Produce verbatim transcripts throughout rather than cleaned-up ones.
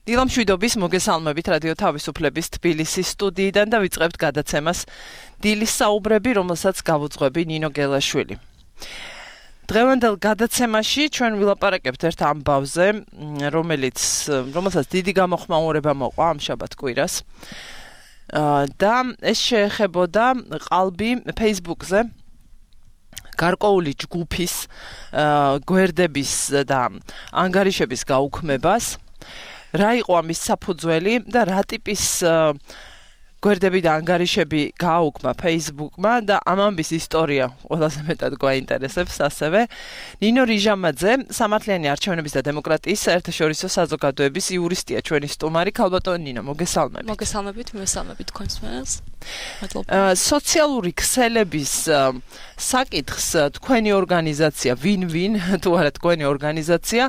დილამშვიდობის მოგესალმებით რადიო თავისუფლების თბილისის სტუდიიდან და ვიწყებთ გადაცემას დილის საუბრები, რომელსაც გავუძღვები ნინო გელაშვილი. დღევანდელ გადაცემაში ჩვენ ვილაპარაკებთ ერთ ამბავზე, რომელიც რომელსაც დიდი გამოხმაურება მოყვა ამ შაბათ კვირას. და ეს შეეხებოდა ყალბი Facebook-ზე გარკვეული ჯგუფის გვერდების და ანგარიშების გაუქმებას. რა იყო ამის საფუძველი და რა ტიპის გვერდები და ანგარიშები გააუქმა Facebook-მა და ამ ამბის ისტორია ყველაზე მეტად გვაინტერესებს ასევე. ნინო რიჟამაძე, სამართლიანი არჩევნების და დემოკრატიის საერთაშორისო საზოგადოების იურისტია, ჩვენი სტუმარი. ქალბატონო ნინო, მოგესალმებით. მოგესალმებით, მოგესალმებით თქვენს მენელს. სოციალური ქსელების საკითხს თქვენი ორგანიზაცია, ვინ-ვინ, თუ არა თქვენი ორგანიზაცია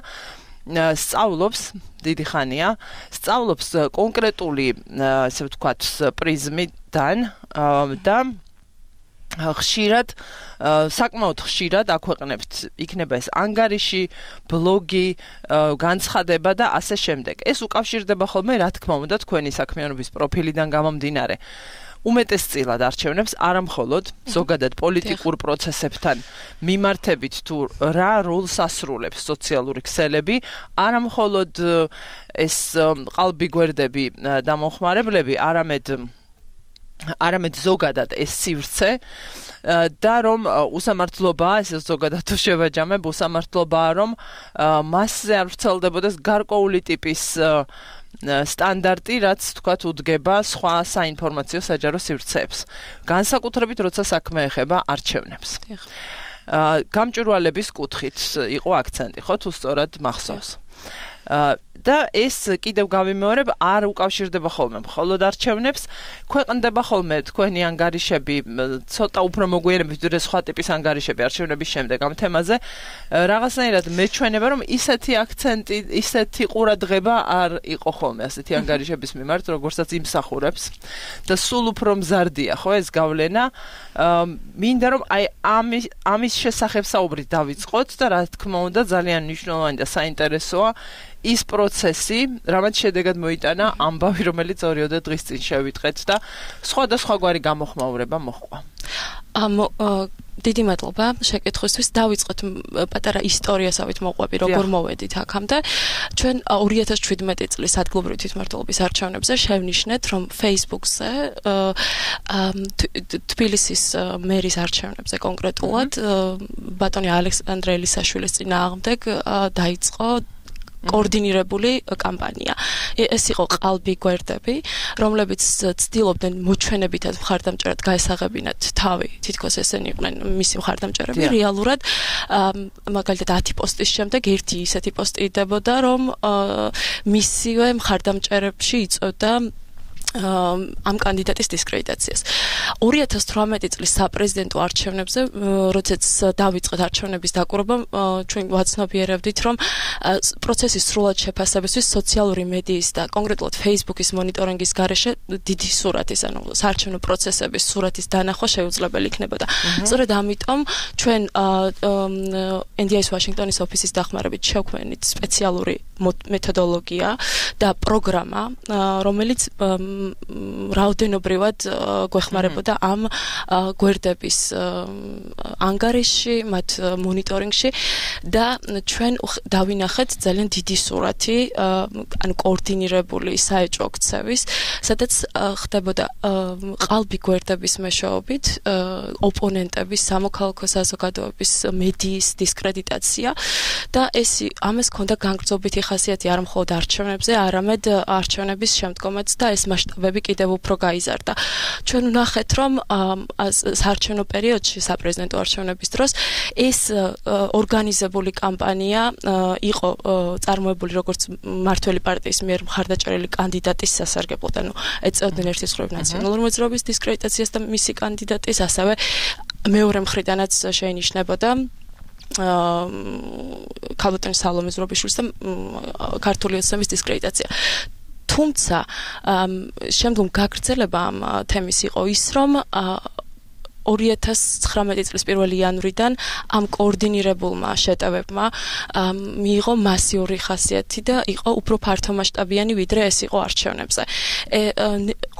სწავლობს დიდი ხანია, სწავლობს კონკრეტული, ასე ვთქვათ, პრიზმიდან და ხშირად, საკმაოდ ხშირად აქვეყნებთ, იქნება ეს ანგარიში, ბლოგი, განცხადება და ასე შემდეგ. ეს უკავშირდება ხოლმე, რა თქმა უნდა, თქვენი საქმიანობის პროფილიდან გამომდინარე. უმეტესწილად არჩევნებს, არა მხოლოდ ზოგადად პოლიტიკურ პროცესებთან მიმართებით თუ რა როლს ასრულებს სოციალური ქსელები, არა მხოლოდ ეს ყალბი გვერდები და მომხმარებლები, არამედ არამედ ზოგადად ეს სივრცე და რომ უსამართლობაა, ეს ზოგადად თუ შევაჯამებ, უსამართლობაა, რომ მასზე არ ვრცელდებოდეს გარკვეული ტიპის სტანდარტი, რაც თქვათ უდგება სხვა საინფორმაციო საჯარო სივრცეებს. განსაკუთრებით, როცა საქმე ეხება არჩევნებს. გამჭვირვალების კუთხით იყო აქცენტი, ხო, თუ სწორად მახსოვს. და ეს კიდევ გავიმეორებ, არ უკავშირდება ხოლმე მხოლოდ არჩევნებს, ქვეყნდება ხოლმე თქვენი ანგარიშები, ცოტა უფრო მოგვიანებით, ვიდრე სხვა ტიპის ანგარიშები არჩევნების შემდეგ ამ თემაზე. რაღაცნაირად მეჩვენება, რომ ისეთი აქცენტი, ისეთი ყურადღება არ იყო ხოლმე ასეთი ანგარიშების მიმართ, როგორცაც იმსახურებს და სულ უფრო მზარდია, ხო, ეს გავლენა. მინდა რომ აი ამის ამის შესახებ საუბრი დავიწყოთ და რა თქმა უნდა, ძალიან მნიშვნელოვანი და საინტერესოა ის პროცესი, რამაც შედეგად მოიტანა ამბავი, რომელიც ორიოდე დღის წინ შევიტყეთ და სხვადასხვაგვარი გამოხმაურება მოჰყვა. ამ დიდი მადლობა შეკითხვისთვის. დავიწყოთ პატარა ისტორიასავით მოყვები, როგორ მოვედით აქამდე. ჩვენ ორი ათას შვიდმეტი წლის ადგილობრივი თვითმმართველობის არჩევნებზე შევნიშნეთ, რომ Facebook-ზე თბილისის მერის არჩევნებზე კონკრეტულად ბატონი ალექსანდრე ელისაშვილის წინააღმდეგ დაიწყო კოორდინირებული კამპანია. ეს იყო ყალბი გვერდები, რომლებიც ცდილობდნენ მოჩვენებითად მხარდამჭერად გაესაღებინათ თავი, თითქოს ესენი იყვნენ მისი მხარდამჭერები. რეალურად მაგალითად ათი პოსტის შემდეგ ერთი ისეთი პოსტი იდებოდა, რომ მისივე მხარდამჭერებში იწვევდა ამ კანდიდატის დისკრედიტაციას. ორი ათას თვრამეტი წლის საპრეზიდენტო არჩევნებზე, როდესაც დავიწყეთ არჩევნების დაკვირვება, ჩვენ ვაცნობიერებდით, რომ პროცესის სრულად შეფასებისთვის სოციალური მედიის და კონკრეტულად Facebook-ის მონიტორინგის გარეშე დიდი სურათის, ანუ საარჩევნო პროცესების სურათის დანახვა შეუძლებელი იქნებოდა. სწორედ ამიტომ ჩვენ ენ დი აის ვაშინგტონის ოფისის დახმარებით შევქმნით სპეციალური მეთოდოლოგია და პროგრამა, რომელიც რაოდენობრივად გვეხმარებოდა ამ გვერდების ანგარიში, მათ მონიტორინგში და ჩვენ დავინახეთ ძალიან დიდი სურათი, ანუ კოორდინირებული საეჭვო ქცევის, სადაც ხდებოდა ყალბი გვერდების მეშვეობით ოპონენტების, სამოქალაქო საზოგადოების, მედიის დისკრედიტაცია და ეს ამას ჰქონდა განგრძობითი ხასიათი არა მხოლოდ არჩევნებზე, არამედ არჩევნების შემდგომაც და ეს მასშტაბები კიდევ უფრო გაიზარდა. ჩვენ ვნახეთ, რომ საარჩევნო პერიოდში, საპრეზიდენტო არჩევნების დროს ეს ორგანიზებული კამპანია იყო წარმოებული როგორც მმართველი პარტიის მიერ მხარდაჭერილი კანდიდატის სასარგებლოდ, ანუ ეწეოდნენ ერთის მხრივ ნაციონალური მოძრაობის დისკრედიტაციას და მისი კანდიდატის, ასევე მეორე მხრიდანაც შეინიშნებოდა ქალბატონი სალომე ზურაბიშვილის და ქართული ოცნების დისკრედიტაცია. თუმცა შემდგომ გაგრძელება ამ თემის იყო ის, რომ ორი ათას ცხრამეტი წლის პირველი იანვრიდან ამ კოორდინირებულმა შეტევებმა მიიღო მასიური ხასიათი და იყო უფრო ფართომასშტაბიანი ვიდრე ეს იყო არჩევნებზე.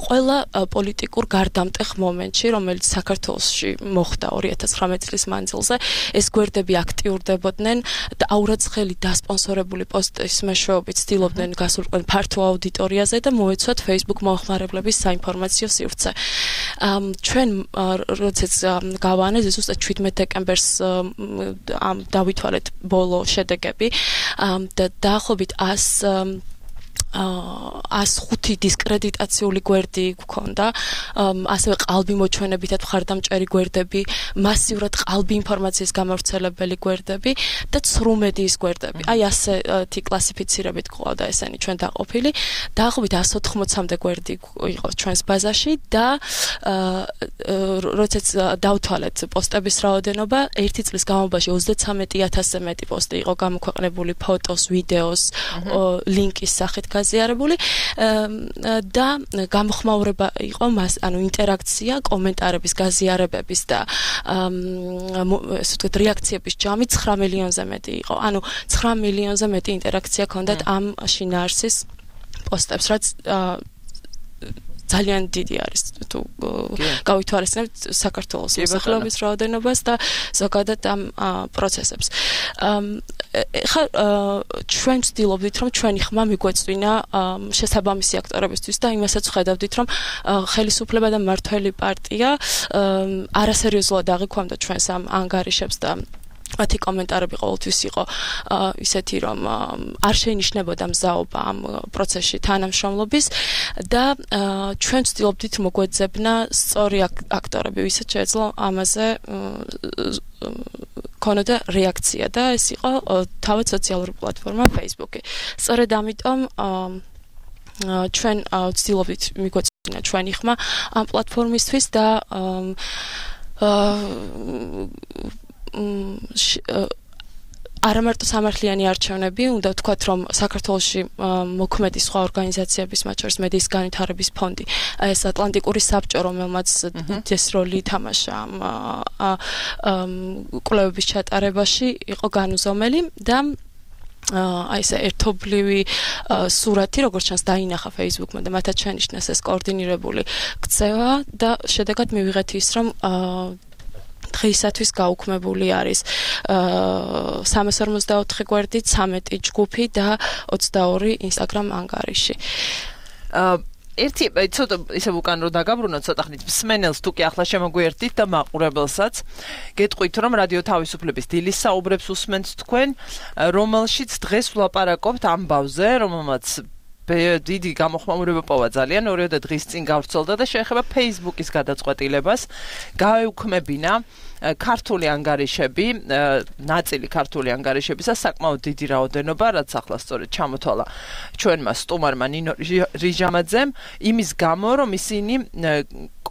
ყველა პოლიტიკურ გარდამტეხ მომენტში, რომელიც საქართველოში მოხდა ორი ათას ცხრამეტი წლის მანძილზე, ეს გვერდები აქტიურდებოდნენ და აურაცხელი დასპონსორებული პოსტის მეშვეობით ცდილობდნენ გასულყვენ ფართო აუდიტორიაზე და მოეცვათ Facebook მომხმარებლების საინფორმაციო სივრცე. ჩვენ როდესაც გავაანალიზეთ ზუსტად შვიდმეტ დეკემბერს ამ დავითვალეთ ბოლო შედეგები და დაახლოებით ას ხუთი დისკრედიტაციული გვერდი გქონდა, ასევე ყალბი მოჩვენებითად მხარდამჭერი გვერდები, მასიურად ყალბი ინფორმაციის გამავრცელებელი გვერდები და ცრუმედიის გვერდები. აი ასეთი კლასიფიცირებით გვყავდა ესენი ჩვენ დაყოფილი. დაახლოებით ას ოთხმოცამდე გვერდი იყო ჩვენს ბაზაში და როდესაც დავთვალეთ პოსტების რაოდენობა, ერთი წლის განმავლობაში ოცდაცამეტი ათასზე მეტი პოსტი იყო გამოქვეყნებული ფოტოს, ვიდეოს, ლინკის სახით გაზიარებული და გამოხმაურება იყო მას, ანუ ინტერაქცია, კომენტარების, გაზიარებების და ესე ვთქვათ რეაქციების ჯამი ცხრა მილიონზე მეტი იყო. ანუ ცხრა მილიონზე მეტი ინტერაქცია ჰქონდათ ამ შინაარსის პოსტებს, რაც ძალიან დიდი არის თუ გავითვალისწინებთ საქართველოს მოსახლეობის რაოდენობას და ზოგადად ამ პროცესებს. ხა ჩვენ ვცდილობდით რომ ჩვენი ხმა მიგვეწვინა შესაბამისი აქტორებისთვის და იმასაც ვხედავდით რომ ხელისუფლება და მმართველი პარტია არასერიოზულად აღიქვამდა ჩვენს ამ ანგარიშებს და მათი კომენტარები ყოველთვის იყო ისეთი რომ არ შეინიშნებოდა მზაობა ამ პროცესში თანამშრომლობის და ჩვენ ვცდილობდით მოგვეძებნა სწორი აქტორები, ვისაც შეეძლო ამაზე ქონოდა რეაქცია და ეს იყო თავად სოციალური პლატფორმა Facebook-ი. სწორედ ამიტომ ჩვენ ვცდილობდით მიგვეწვინა ჩვენი ხმა ამ პლატფორმისთვის და არა მარტო სამართლიანი არჩევნები, უნდა ვთქვათ, რომ საქართველოში მოქმედი სხვა ორგანიზაციების, მათ შორის მედიის განვითარების ფონდი, ეს ატლანტიკური საბჭო, რომელმაც ეს როლი ითამაშა ამ კვლევების ჩატარებაში, იყო განუზომელი და აი ესე ერთობლივი სურათი, როგორც ჩანს, დაინახა Facebook-მა და მათაც შენიშნეს ეს კოორდინირებული ქცევა და შედეგად მივიღეთ ის, რომ დღეისათვის გაუქმებული არის სამას ორმოცდაოთხი გვერდი, ცამეტი ჯგუფი და ოცდაორი Instagram ანგარიში. ერთი ცოტა ისე უკან რო დაგაბრუნოთ ცოტა ხნით მსმენელს თუ კი ახლა შემოგვიერთდით და მაყურებელსაც გეტყვით რომ რადიო თავისუფლების დილის საუბრებს უსმენთ თქვენ, რომელშიც დღეს ვლაპარაკობთ ამბავზე, რომელმაც დიდი გამოხმაურება პოვა ძალიან ორიოდე დღის წინ გავრცელდა და შეეხება Facebook-ის გადაწყვეტილებას გაეუქმებინა ქართული ანგარიშები, ნაწილი ქართული ანგარიშებისა საკმაოდ დიდი რაოდენობა, რაც ახლა სწორედ ჩამოთვალა ჩვენმა სტუმარმა ნინო რიჟამაძემ, იმის გამო, რომ ისინი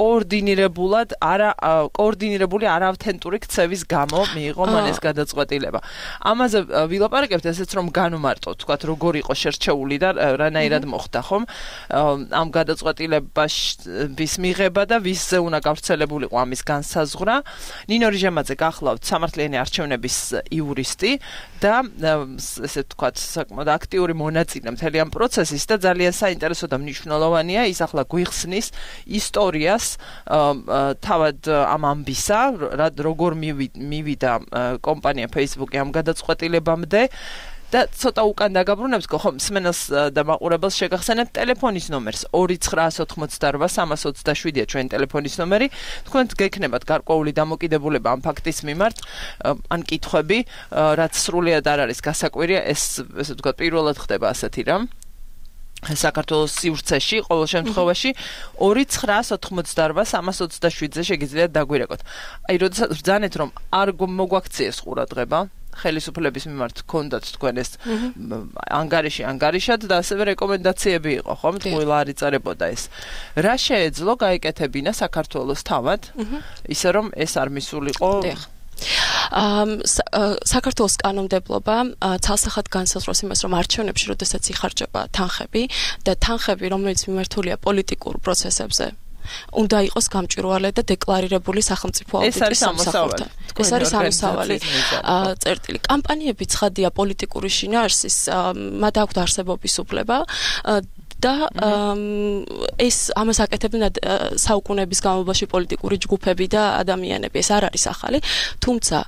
კოორდინირებულად არა კოორდინირებული არაავთენტური ქცევის გამო მიიღო მან ეს გადაწყვეტილება. ამაზე ვილაპარაკებთ ესეც რომ განუმარტოთ, თქვათ როგორ იყო შერჩეული და რანაირად მოხდა ხომ ამ გადაწყვეტილების მიღება და ვისზე უნდა გავრცელებულიყო ამის განსაზღვრა. ნინო რიჟამაძე გახლავთ სამართლიანი არჩევნების იურისტი და ესე ვთქვათ საკმაოდ აქტიური მონაწილე მთელი ამ პროცესის და ძალიან საინტერესო და მნიშვნელოვანია ის ახლა გვიხსნის ისტორიას თავად ამ ამბისა, როგორ მივიდა კომპანია Facebook-ი ამ გადაწყვეტილებამდე და ცოტა უკან დაგაბრუნებს ხო მსმენელს და მაყურებელს შეგახსენებთ ტელეფონის ნომერს ორი ცხრა ოცდაოთხი სამას ოცდაშვიდია ჩვენი ტელეფონის ნომერი. თქვენ გექნებათ გარკვეული დამოკიდებულება ამ ფაქტის მიმართ, ან კითხვები, რაც სრულიად არ არის გასაკვირია, ეს ესე ვთქვათ პირველად ხდება ასეთი რამ. საქართველოს სივრცეში ყოველ შემთხვევაში ორი ცხრა ოცდაოთხი სამას ოცდაშვიდზე შეგიძლიათ დაგვირეკოთ. აი როდესაც ბრძანეთ რომ არ მოგვაქციეს ყურადღება ხელისუფლების მიმართ გქონდათ თქვენ ეს ანგარიში ანგარიშად და ასევე რეკომენდაციები იყო, ხომ? თულა არ იწერებოდა ეს. რა შეეძლო გაეკეთებინა საქართველოს თავად, ისე რომ ეს არ მისულიყო საქართველოს კანონმდებლობა ცალსახად განსაზღვრავს იმას, რომ არჩევნებში, როდესაც იხარჯება თანხები და თანხები, რომელიც მიმართულია პოლიტიკურ პროცესებზე, უნდა იყოს გამჭვირვალე და დეკლარირებული სახელმწიფო აუდიტის სამსახურთან. ეს არის ამოსავალი წერტილი. კამპანიები ცხადია პოლიტიკური შინაარსის, მათ აქვთ არსებობის უფლება და ეს ამას აკეთებდნენ საუკუნეების განმავლობაში პოლიტიკური ჯგუფები და ადამიანები. ეს არ არის ახალი, თუმცა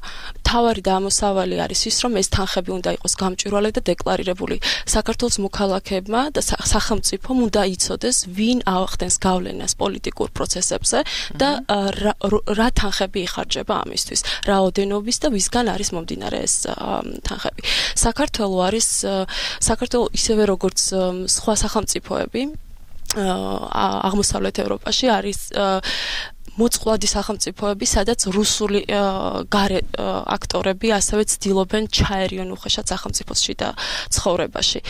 თავარი და ამოსავალი არის ის, რომ ეს თანხები უნდა იყოს გამჭვირვალე და დეკლარირებული. საქართველოს მოქალაქეებმა და სახელმწიფომ უნდა იცოდეს, ვინ ახდენს გავლენას პოლიტიკურ პროცესებზე და რა თანხები იხარჯება ამისთვის, რაოდენობის და ვისგან არის მომდინარე ეს თანხები. საქართველო არის საქართველო ისევე როგორც სხვა სახელმწიფოები აღმოსავლეთ ევროპაში არის მოწყვლადი სახელმწიფოები, სადაც რუსული გარე აქტორები ასევე ცდილობენ ჩაერიონ უხეშად სახელმწიფოსში და ცხოვრებაში.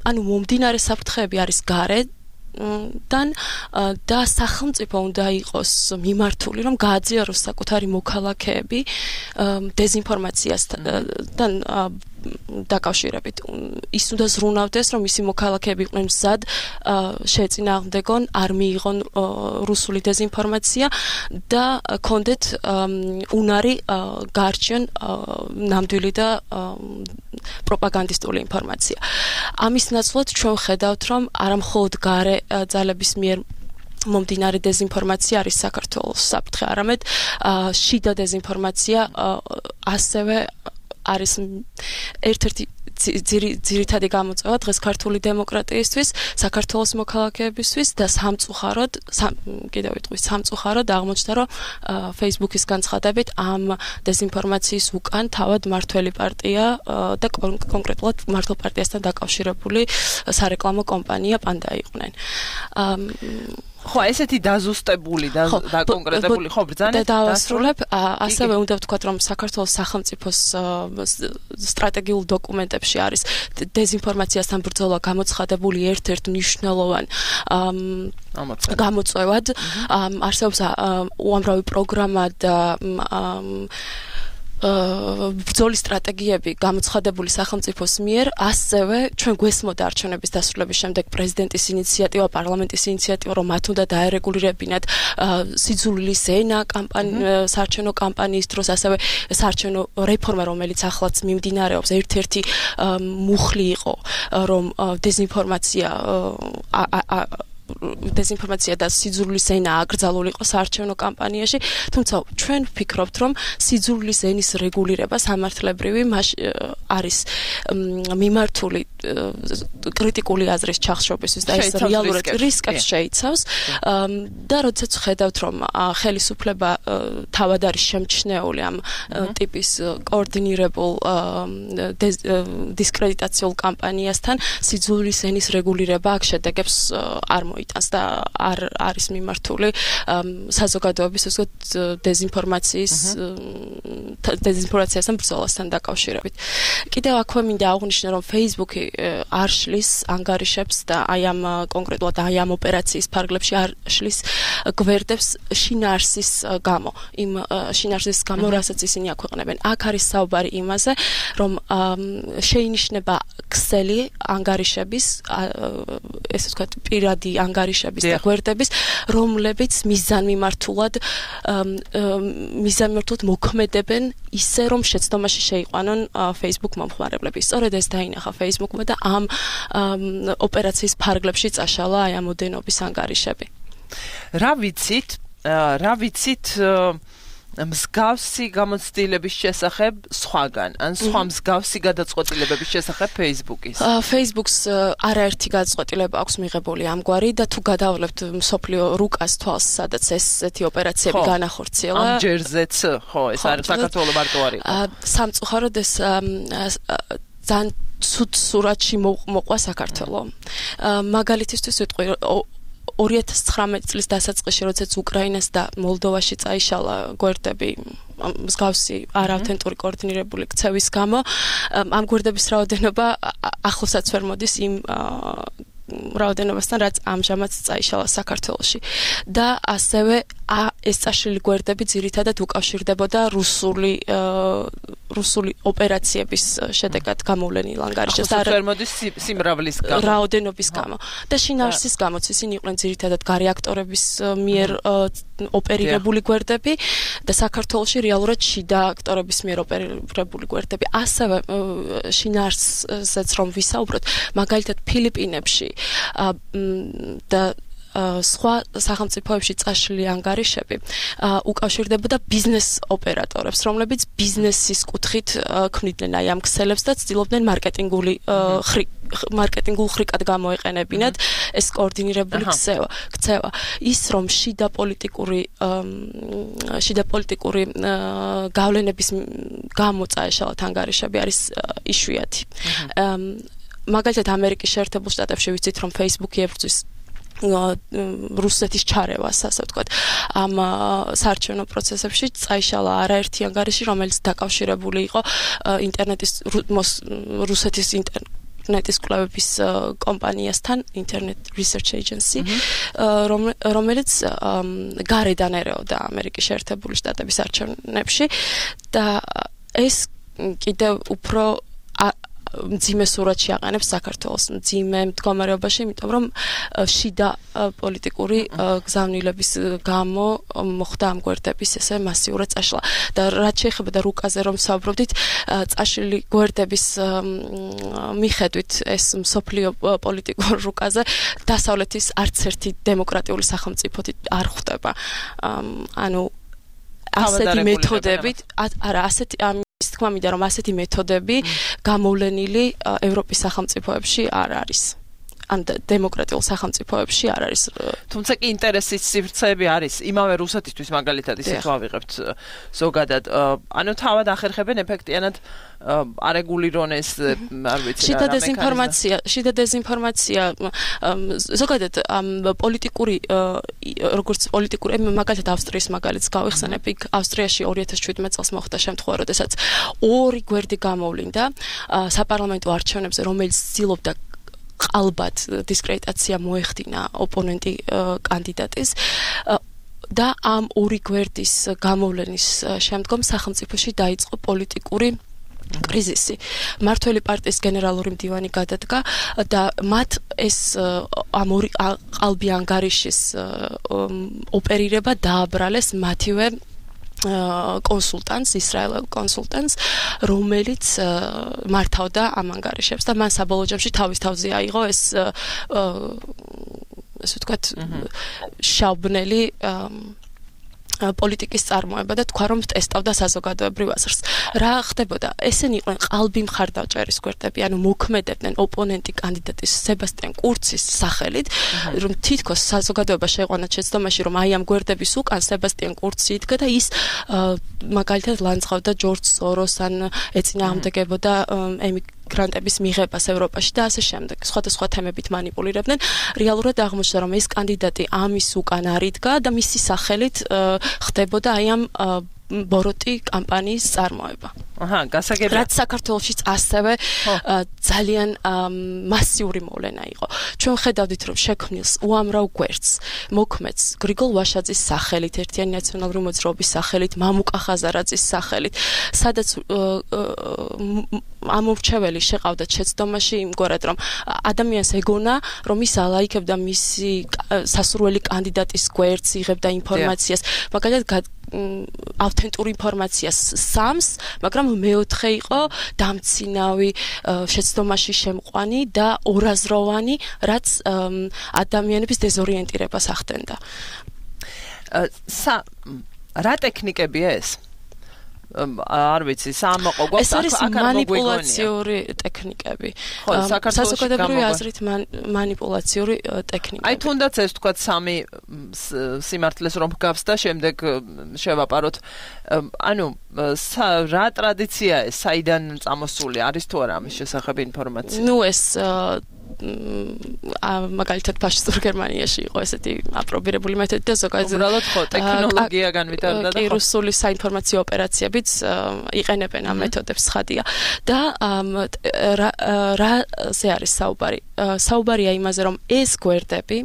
ანუ მომდინარე საფრთხეები არის გარე და სახელმწიფო უნდა იყოს მიმართული, რომ გააძიაროს საკუთარი მოქალაქეები დეზინფორმაციასთან დაკავშირებით. ის უნდა ზრუნავდეს, რომ მისი მოქალაქეები იყვნენ მზად შეეწინააღმდეგონ, არ მიიღონ რუსული დეზინფორმაცია და კონდეთ უნარი გაარჩიონ ნამდვილი და პროპაგანდისტული ინფორმაცია. ამის ნაცვლად ჩვენ ხედავთ, რომ არამხოლოდ გარე ძალების მიერ მომდინარე დეზინფორმაცია არის საქართველოს საფრთხე, არამედ შიდა დეზინფორმაცია ასევე არის ერთ-ერთი ძირითადი გამოწვევა დღეს ქართული დემოკრატიისთვის, საქართველოს მოქალაქეებისთვის და სამწუხაროდ, კიდევ ვიტყვი, სამწუხაროდ აღმოჩნდა, რომ Facebook-ის განცხადებით ამ დეზინფორმაციის უკან თავად მართველი პარტია და კონკრეტულად მართლ პარტიასთან დაკავშირებული სარეკლამო კომპანია პანდა იყვნენ. ხო, ესეთი დაზუსტებული და კონკრეტებული ხო ბრძანება და დავასრულებ, ასევე უნდა ვთქვათ, რომ საქართველოს სახელმწიფოს სტრატეგიულ დოკუმენტებში არის დეზინფორმაციასთან ბრძოლა გამოცხადებული ერთ-ერთ მნიშვნელოვან გამოწვევად. არსებობს უამრავი პროგრამა და ბრძოლის სტრატეგიები გამოცხადებული სახელმწიფოს მიერ, ასევე ჩვენ გვესმოდა არჩევნების დასრულების შემდეგ პრეზიდენტის ინიციატივა, პარლამენტის ინიციატივა, რომ მათ უნდა დაერეგულირებინათ სიძულვილის ენა საარჩევნო კამპანიის დროს, ასევე საარჩევნო რეფორმა, რომელიც ახლაც მიმდინარეობს, ერთ-ერთი მუხლი იყო, რომ დეზინფორმაცია დეზინფორმაცია და სიძულვილის ენა აკრძალულიყო საარჩევნო კამპანიაში, თუმცა ჩვენ ვფიქრობთ, რომ სიძულვილის ენის რეგულირება სამართლებრივი არის მიმართული კრიტიკული აზრის ჩახშობისთვის და ეს რეალურად რისკებს შეიცავს და როდესაც ხედავთ, რომ ხელისუფლება თავად არის შემჩნეული ამ ტიპის კოორდინირებულ დისკრედიტაციულ კამპანიასთან, სიძულვილის ენის რეგულირება აქ შედეგებს არ იტანს და არ არის მიმართული საზოგადოების უბრალოდ დეზინფორმაციის დეზინფორმაციასთან ბრძოლასთან დაკავშირებით. კიდევ აქვე მინდა აღვნიშნო, რომ Facebook-ი არ შლის ანგარიშებს და აი ამ კონკრეტულად აი ამ ოპერაციის ფარგლებში არ შლის გვერდებს შინაარსის გამო, იმ შინაარსის გამო, რასაც ისინი აქვეყნებენ. აქ არის საუბარი იმაზე, რომ შეინიშნება ქსელი ანგარიშების, ესე ვთქვათ, პირადი ანგარიშების და გვერდების, რომლებიც მიზანმიმართულად მიზანმიმართულად მოქმედებენ ისე, რომ შეცდომაში შეიყვანონ Facebook მომხმარებლები. სწორედ ეს დაინახა Facebook-მა და ამ ოპერაციის ფარგლებში წაშალა აი ამ ოდენობის ანგარიშები. რა ვიცით, რა ვიცით მსგავსი გამოცდილების შესახებ სხვაგან, ან სხვა მსგავსი გადაწყვეტილებების შესახებ Facebook-ის? Facebook-ს არაერთი გადაწყვეტილება აქვს მიღებული ამგვარი და თუ გადავლებთ მსოფლიო რუკას თვალს, სადაც ესეთი ოპერაციები განახორციელა. ამ ჯერზეც, ხო, ეს არის საქართველოს მარტო არ იყო. სამწუხაროდ ეს ძალიან ცუდ სურათში მოყვა საქართველო. მაგალითისთვის ვიტყვი, ორი ათას ცხრამეტი წლის დასაწყისში, როდესაც უკრაინას და მოლდოვაში წაიშალა გვერდები მსგავსი არაავთენტური კოორდინირებული ქცევის გამო, ამ გვერდების რაოდენობა ახლოსაც ვერ მოდის იმ რაოდენობასთან, რაც ამჟამად წაიშალა საქართველოში. და ასევე ეს წაშლილი გვერდები ძირითადად უკავშირდებოდა რუსული რუსული ოპერაციების შედეგად გამოვლენილ ანგარიშებს და არ მოდის სიმრავლის გამო რაოდენობის გამო და შინაარსის გამოც ისინი იყვნენ ძირითადად გარეაქტორების მიერ ოპერირებული გვერდები და საქართველოში რეალურად შიდა აქტორების მიერ ოპერირებული გვერდები. ასევე შინაარსზეც რომ ვისაუბროთ, მაგალითად ფილიპინებში და სხვა სახელმწიფოებში წაშლილი ანგარიშები უკავშირდებოდა ბიზნეს ოპერატორებს, რომლებიც ბიზნესის კუთხით ქმნიდნენ აი ამ ქსელებს და ცდილობდნენ მარკეტინგული მარკეტინგულ ხრიკად გამოეყენებინათ ეს კოორდინირებული ქცევა. ის რომ შიდა პოლიტიკური შიდა პოლიტიკური გავლენების გამო წაეშალათ ანგარიშები არის იშვიათი. მაგალითად ამერიკის შეერთებულ შტატებში ვიცით რომ Facebook-ი ებრძვის რუსეთის ჩარევას, ასე ვთქვათ, ამ საარჩევნო პროცესებში წაიშალა არაერთი ანგარიში, რომელიც დაკავშირებული იყო ინტერნეტის რუსეთის ინტერნეტის კვლევების კომპანიასთან, Internet Research Agency, რომელიც გარედან ერეოდა ამერიკის შეერთებული შტატების არჩევნებში და ეს კიდევ უფრო მძიმე სურათში აყენებს საქართველოს მძიმე მდგომარეობაში, იმიტომ რომ შიდა პოლიტიკური გზავნილების გამო მოხდა ამ გვერდების ესე მასიურად წაშლა. და რაც შეეხება და რუკაზე რომ საუბრობდით, წაშლილი გვერდების მიხედვით ეს მსოფლიო პოლიტიკურ რუკაზე დასავლეთის არც ერთი დემოკრატიული სახელმწიფოთი არ ხვდება. ანუ ასეთი მეთოდებით, არა, ასეთი ის თქმა მინდა რომ ასეთი მეთოდები გამოვლენილი ევროპის სახელმწიფოებში არ არის. ან დემოკრატიულ სახელმწიფოებში არ არის. თუმცა კი ინტერესის სივრცეები არის. იმავე რუსეთისთვის მაგალითად ისეთ ვავიღებთ ზოგადად. ანუ თავად ახერხებენ ეფექტიანად არეგულირონეს, არ ვიცი რა. შიდა დეზინფორმაცია, შიდა დეზინფორმაცია ზოგადად პოლიტიკური როგორც პოლიტიკური მაგალითად ავსტრიის მაგალითს გავიხსენებ, იქ ავსტრიაში ორი ათას შვიდმეტ წელს მოხდა შემთხვევა, როდესაც ორი გვერდი გამოვლინდა საპარლამენტო არჩევნებზე, რომელიც ცდილობდა ყალბად დისკრედიტაცია მოეხდინა ოპონენტი კანდიდატის და ამ ორი გვერდის გამოვლენის შემდგომ სახელმწიფოში დაიწყო პოლიტიკური კრიზისი. მართველი პარტიის გენერალური მდივანი გადადგა და მათ ეს ამ ორი ყალბი ანგარიშის ოპერირება დააბრალეს მათივე კონსულტანტს, ისრაელელ კონსულტანტს, რომელიც მართავდა ამ ანგარიშებს და მან საბოლოო ჯამში თავის თავზე აიღო ეს ასე ვთქვათ შავბნელი პოლიტიკის წარმოება და თქვა რომ ტესტავდა საზოგადოებრივ აზრს. რა ხდებოდა? ესენი იყვნენ ყალბი მხარდაჭერის გვერდები, ანუ მოქმედებდნენ ოპონენტი კანდიდატის სებასტიან კურცის სახელით, რომ თითქოს საზოგადოება შეიყვანა შეცდომაში, რომ აი ამ გვერდების უკან სებასტიან კურცი იდგა და ის მაგალითად ლანძღავდა ჯორჯ სოროს ან ეწინააღმდეგებოდა ემიგრანტების მიღებას ევროპაში და ასე შემდეგ. სხვადასხვა თემებით მანიპულირებდნენ. რეალურად აღმოჩნდა, რომ ეს კანდიდატი ამის უკან არ იდგა და მისი სახელით ხდებოდა აი ამ ბოროტი კამპანიის წარმოება. აჰა, გასაგებია. რაც საქართველოშიც ასევე ძალიან მასიური მოვლენა იყო. ჩვენ ხედავდით, რომ შექმნილს უამრავ გვერდს მოქმედს გრიგოლ ვაშაძის სახელით, ერთიანი ნაციონალური მოძრაობის სახელით, მამუკა ხაზარაძის სახელით, სადაც ამორჩეველი შეყავდათ შეცდომაში იმგვარად, რომ ადამიანს ეგონა, რომ ის ალაიქებდა მისი სასურველი კანდიდატის გვერდს, იღებდა ინფორმაციას, მაგალითად ავთენტური ინფორმაციას სამს, მაგრამ მეოთხე იყო დამცინავი, შეცდომაში შემყვანი და ორაზროვანი, რაც ადამიანების დეზორიენტირებას ახდენდა. რა ტექნიკებია ეს? არ ვიცი, სამოყო გვაქვს აქ აქ მანიპულაციური ტექნიკები. საზოგადოებრივი აზრით მანიპულაციური ტექნიკები. აი თუნდაც ეს თქვა სამი სიმართლეს რომ გავს და შემდეგ შევაპაროთ. ანუ რა ტრადიცია ეს, საიდან წამოსული არის თუ არა ამის შესახებ ინფორმაცია? ნუ ეს მაგალითად ფაშისტურ გერმანიაში იყო ესეთი აპრობირებული მეთოდი და ზოგადად უბრალოდ ხო ტექნოლოგია განვითარდა და კი რუსული საინფორმაციო ოპერაციებიც იყენებენ ამ მეთოდებს ხადია და რაზე არის საუბარი საუბარია იმაზე რომ ეს გვერდები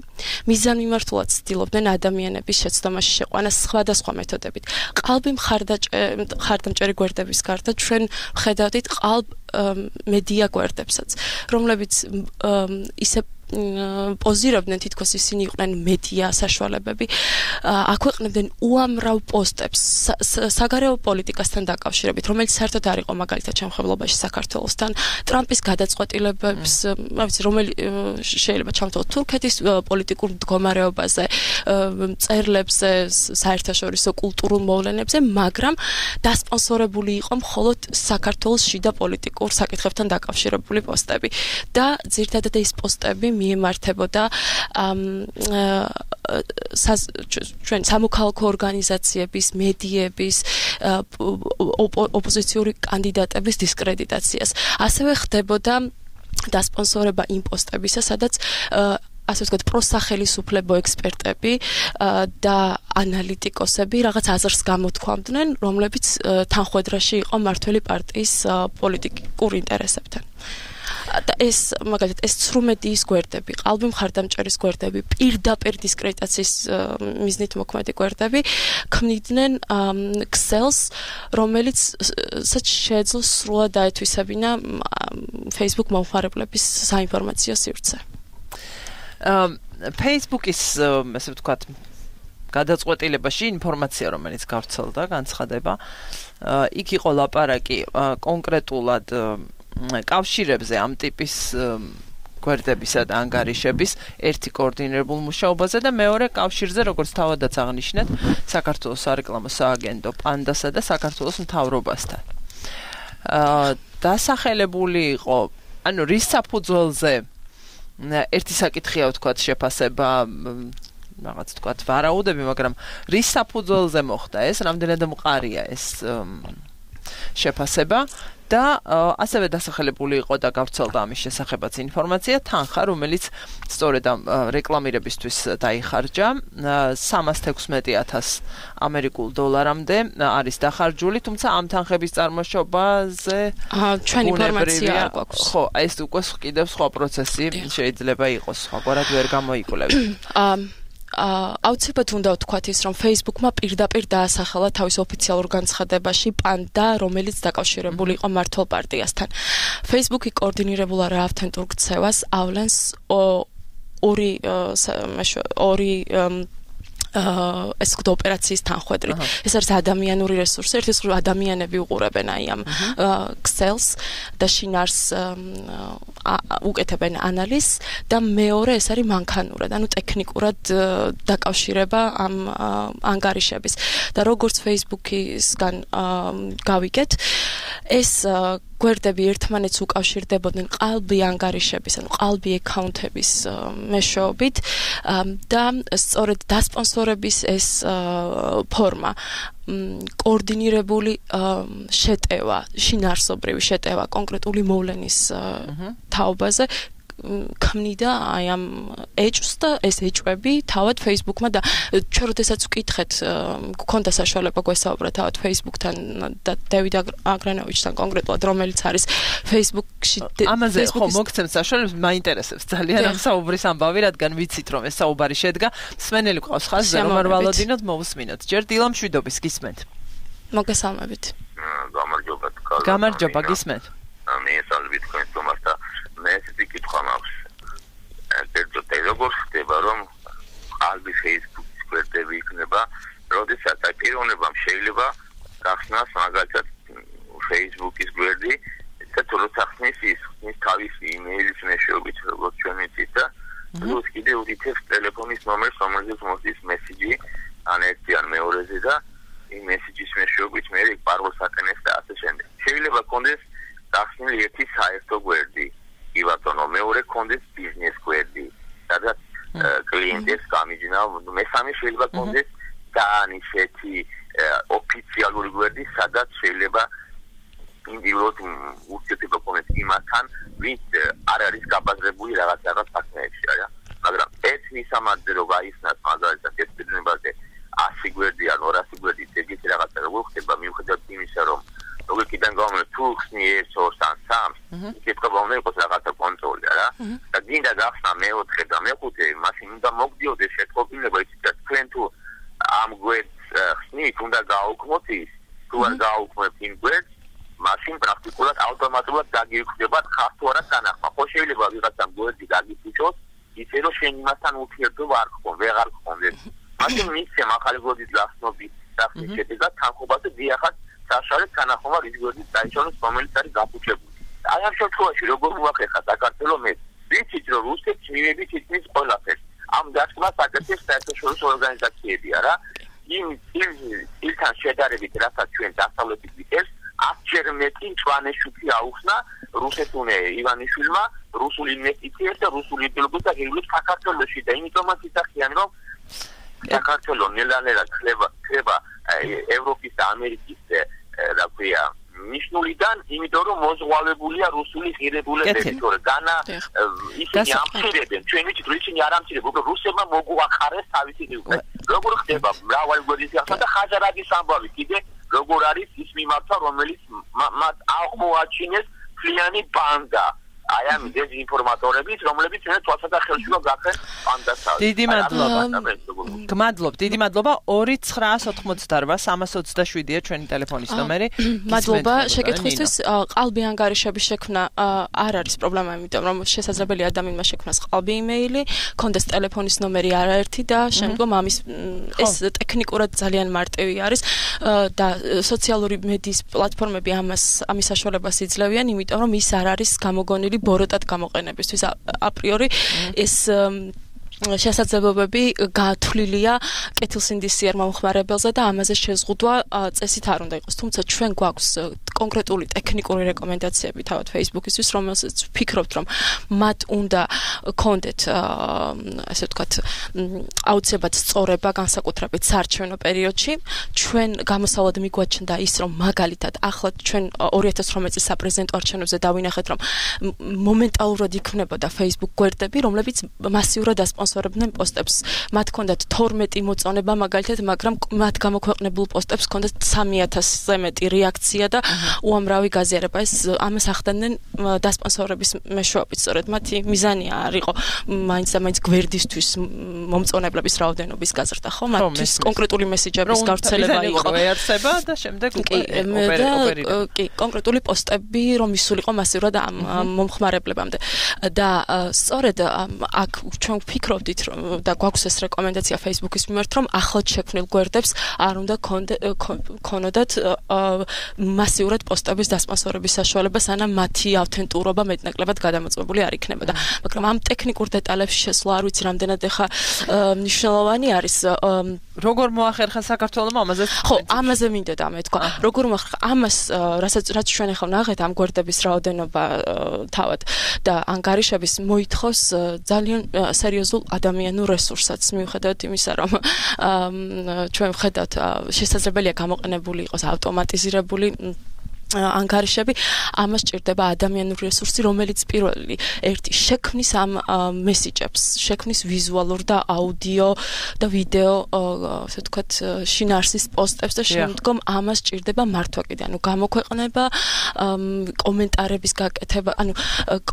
მიზანმიმართულად ცდილობდნენ ადამიანების შეცდომაში შეყვანას სხვადასხვა მეთოდებით ყალბი მხარდამჭერი გვერდების გარდა ჩვენ ხედავდით ყალბ მედია გვერდებსაც რომლებიც ისე პოზირებდნენ თითქოს ისინი იყვნენ მედია საშუალებები აქვეყნებდნენ უამრავ პოსტებს საგარეო პოლიტიკასთან დაკავშირებით რომელიც საერთოდ არ იყო მაგალითად შემხებლობაში საქართველოსთან ტრამპის გადაწყვეტილებებს რა ვიცი რომელი შეიძლება ჩამოთვალოთ თურქეთის პოლიტიკურ მდგომარეობაზე წერლებზე საერთაშორისო კულტურულ მოვლენებზე მაგრამ დასპონსორებული იყო მხოლოდ საქართველოს შიდა პოლიტიკურ საკითხებთან დაკავშირებული პოსტები და ძირითადად ეს პოსტები მიემართებოდა ჩვენ სამოქალაქო ორგანიზაციების, მედიების, ოპოზიციური კანდიდატების დისკრედიტაციას. ასევე ხდებოდა დასპონსორება იმ პოსტებისა, სადაც ასე ვთქვათ, პროსახელისუფლებო ექსპერტები და ანალიტიკოსები რაღაც აზრს გამოთქვამდნენ, რომლებიც თანხვედრაში იყო მმართველი პარტიის პოლიტიკურ ინტერესებთან. და ეს მაგალითად ეს ცრუმედიის გვერდები, ყალბი მხარდამჭერის გვერდები, პირდაპირ დისკრედიტაციის მიზნით მოქმედი გვერდები ქმნიდნენ ქსელს, რომელიც შეეძლო სრულად დაეთვისებინა Facebook მომხმარებლების საინფორმაციო სივრცე. Facebook-ის ასე ვთქვათ გადაწყვეტილებაში ინფორმაცია რომელიც გავრცელდა, განცხადება, იქ იყო ლაპარაკი კონკრეტულად კავშირებზე ამ ტიპის გვერდებისა და ანგარიშების ერთი კოორდინირებულ მუშაობაზე და მეორე კავშირზე როგორც თავადაც აღნიშნეთ საქართველოს სარეკლამო სააგენტო პანდასა და საქართველოს მთავრობასთან. დასახელებული იყო ანუ რის საფუძველზე ერთი საკითხია ვთქვათ შეფასება რაღაც ვთქვათ ვარაუდები მაგრამ რის საფუძველზე მოხდა ეს რამდენად მყარია ეს შეფასება და ასევე დასახელებული იყო და გავრცელდა ამის შესახებაც ინფორმაცია თანხა რომელიც სწორედ ამ რეკლამირებისთვის დაიხარჯა სამას თექვსმეტი ათასი ამერიკულ დოლარამდე არის დახარჯული თუმცა ამ თანხების წარმოშობაზე ჩვენ ინფორმაცია არ გვაქვს ხო ეს უკვე კიდევ სხვა პროცესი შეიძლება იყოს სხვაგვარად ვერ გამოიკვლევი აუცილებლად უნდა ვთქვათ ის რომ Facebook-მა პირდაპირ დაასახელა თავის ოფიციალურ განცხადებაში პანდა რომელიც დაკავშირებული იყო მმართველ პარტიასთან. Facebook-ი კოორდინირებულა რა ავთენტურ ქცევას ავლენს ორი ორი ეს ხდო ოპერაციის თანხwebdriver. ეს არის ადამიანური რესურსი, ერთის მხრივ ადამიანები უყურებენ აი ამ ქსელს და შინარს უკეთებენ ანალიზს და მეორე ეს არის მანქანურად, ანუ ტექნიკურად დაკავშირება ამ ანგარიშების. და როგორც Facebook-ისგან გავიგეთ, ეს გვერდები ერთმანეთს უკავშირდებოდნენ ყალბი ანგარიშების, ანუ ყალბი აკაუნტების მეშვეობით და სწორედ დასპონსორების ეს ფორმა კოორდინირებული შეტევა, შინაარსობრივი შეტევა კონკრეტული მოვლენის თაობაზე ქმნიდა აი ამ ეჭვს და ეს ეჭვები თავად Facebook-მა და ჩვენ როდესაც ვკითხეთ გქონდა საშუალება გვესაუბრა თავად Facebook-თან და დევიდ აგრანოვიჩთან კონკრეტულად რომელიც არის Facebook-ში ამაზე ხო მოგცემ საშუალებას მაინტერესებს ძალიან ამ საუბრის ამბავი რადგან ვიცით რომ ეს საუბარი შედგა მსმენელი ყავს ხაზზე რომ არ ვალოდინოთ მოვუსმინოთ ჯერ დილა მშვიდობის გისმენთ მოგესალმებით გამარჯობა გამარჯობა გისმენთ მე სალვით თქვენ თომასთან მე ესეთი კითხვა მაქვს. ერთოდ როგორ ხდება რომ ყალბი Facebook-ის გვერდები იქნება, როდესაც აი პიროვნებამ შეიძლება გახსნას მაგალითად Facebook-ის გვერდი, და თუ როცა ხსნის ის ხსნის თავისი იმეილის მეშვეობით, როგორც ჩვენ ვიცით და plus კიდევ უთითებს ტელეფონის ნომერს, რომელზეც მოსდის მესიჯი, ან ერთი ან მეორეზე და იმ მესიჯის მეშვეობით მე პაროლს აკენებს და ასე შემდეგ. შეიძლება კონდეს გახსნილი ერთი საერთო გვერდი. იბატონო მეორე კონდეს ბიზნეს გვერდი სადაც კლიენტებს გამიჯნა მესამე შეიძლება კონდეს და ისეთი ოფიციალური გვერდი სადაც შეიძლება ინდივიდუალურად ურთიერთობა გქონდეს იმასთან, ვინც არ არის გაბაზრებული რაღაც რაღაც საქმეებში, არა? მაგრამ ერთ მისამართზე რო გაიხსნას მაგალითად ეს პიროვნებაზე ასი გვერდი ან ორასი გვერდი ეგეთი რაღაცა როგორ ხდება მიუხედავად იმისა, რომ ლოგიკიდან გამომდინარე თუ ხსნი ერთ ორს ან სამს, იქნება უნდა იყოს რაღაცა კონტროლი, არა? და გინდა გახსნა მეოთხე და მეხუთე, მაშინ უნდა მოგდიოდეს შეტყობინება იცით თქვენ თუ ამ გვერდს ხსნით უნდა გააუქმოთ ის, თუ არ გააუქმებთ იმ გვერდს, მაშინ პრაქტიკულად ავტომატურად დაგიხვდებათ ხარ თუ არა განახმა. ხო შეიძლება ვიღაცამ გვერდი გაგიფუჭოს, ისე რომ შენ იმასთან ურთიერთობა არ გქონ, ვეღარ გქონდეს. მაშინ მისცემ ახალი გვერდის გახსნობის სახის შედეგად თანხმობაზე დიახაც საშუალო თანახმობა რის გვერდის დაიშალოს, რომელიც არის გაფუჭებული. აი ამ შემთხვევაში როგორ მოახერხა საქართველოს მე ვიცით რომ რუსეთს მივედით ისმის ყველაფერს. ამ დასკვნას აკეთებს საერთაშორისო ორგანიზაციები, არა? იმ ilთან შედარებით, რასაც ჩვენ დასავლეთით ვიტევს, ათჯერ მეტი მწვანეშუქი აუხსნა რუსეთუნე ივანიშვილმა რუსულ ინვესტიციებს და რუსულ იდეოლოგიას და გეუბნებს საქართველოში და იმიტომაც იცახიან რომ საქართველოს ნელა-ნელა ხდება ხდება ევროპის და ამერიკის რა ქვია ნიშნულიდან, იმიტომ რომ მოზღვავებულია რუსული ღირებულებები, თორე განა ისინი ამცირებენ, ჩვენ ვიცით რომ ისინი არ ამცირებენ, უბრალოდ რუსებმა მოგუახარეს თავისი ღირებულება. როგორ ხდება მრავალი გვერდის გახსნა და ხაჯარაძის ამბავი კიდე როგორ არის ის მიმართა, რომელიც მათ აღმოაჩინეს ფლიანი ბანდა. აი ამ დეზინფორმატორების, რომლებიც მე თვალსაჩინო ხელშუა გახენ პანდას. დიდი მადლობა. გმადლობ, დიდი მადლობა. ორი ცხრაას ოთხმოცდაორბა სამას ოცდაშვიდია ჩვენი ტელეფონის ნომერი. მადლობა შეკითხვისთვის. ყალბი ანგარიშების შექმნა არ არის პრობლემა, იმიტომ რომ შესაძლებელია ადამიანმა შექმნას ყალბი იმეილი, კონდეს ტელეფონის ნომერი არაერთი და შემდგომ ამის ეს ტექნიკურად ძალიან მარტივი არის და სოციალური მედიის პლატფორმები ამას ამის საშუალებას იძლევიან, იმიტომ რომ ის არ არის გამოგონილი ბოროტად გამოყენებისთვის აპრიორი ეს შესაძლებლობები გათვლილია კეთილსინდისიერ მომხმარებელზე და ამაზე შეზღუდვა წესით არ უნდა იყოს. თუმცა ჩვენ გვაქვს კონკრეტული ტექნიკური რეკომენდაციები თავად Facebook-ისთვის, რომელსაც ვფიქრობთ, რომ მათ უნდა კონდეთ ასე ვთქვათ აუცილებლად სწორება განსაკუთრებით საარჩევნო პერიოდში. ჩვენ გამოსავად მიგვაჩნდა ის, რომ მაგალითად ახლა ჩვენ ორი ათას ოცდაოთხ წლის საპრეზიდენტო არჩევნებზე დავინახეთ, რომ მომენტალურად იქმნებოდა Facebook გვერდები, რომლებიც მასიურად ასპონსორებდნენ პოსტებს. მათ ჰქონდათ თორმეტი მოწონება მაგალითად, მაგრამ მათ გამოქვეყნებულ პოსტებს ჰქონდათ სამი ათასზე მეტი რეაქცია და უამრავი გაზიარება. ეს ამას ახდენენ დასპონსორების მეშვეობით. სწორედ მათი მიზანი არ იყო მაინც და მაინც გვერდისთვის მომწონებლების რაოდენობის გაზრდა, ხო? მათთვის კონკრეტული მესიჯების გავრცელება იყო. ეარსება და შემდეგ უკვე ოპერირება. კი, კონკრეტული პოსტები რომ ისულიყო მასიურად ამ მომხმარებლებამდე. და სწორედ აქ ჩვენ ვფიქრობდით და გვაქვს ეს რეკომენდაცია Facebook-ის მიმართ, რომ ახლად შექმნილ გვერდებს არ უნდა ქონოდათ მასიურად პოსტების დასპონსორების საშუალება, სანამ მათი ავთენტურობა მეტნაკლებად გადამოწმებული არ იქნებოდა. მაგრამ ამ ტექნიკურ დეტალებში შესვლა არ ვიცი რამდენად ეხა მნიშვნელოვანი არის. როგორ მოახერხა საქართველოს ამაზე? ხო, ამაზე მინდოდა მე თქვა. როგორ მოახერხა ამას, რასაც რაც ჩვენ ახლა ვნახეთ ამ გვერდების რაოდენობა თავად და ანგარიშების მოითხოვს ძალიან სერიოზულ ადამიანურ რესურსსაც, მიუხედავად იმისა, რომ ჩვენ ვხედავთ შესაძლებელია გამოყენებული იყოს ავტომატიზირებული ანგარიშები, ამას ჭირდება ადამიანური რესურსი, რომელიც პირველი ერთი შექმნის ამ მესიჯებს, შექმნის ვიზუალურ და აუდიო და ვიდეო, ასე ვთქვათ, შინაარსის პოსტებს და შემდგომ ამას ჭირდება მართვა კიდე, ანუ გამოქვეყნება, კომენტარების გაკეთება, ანუ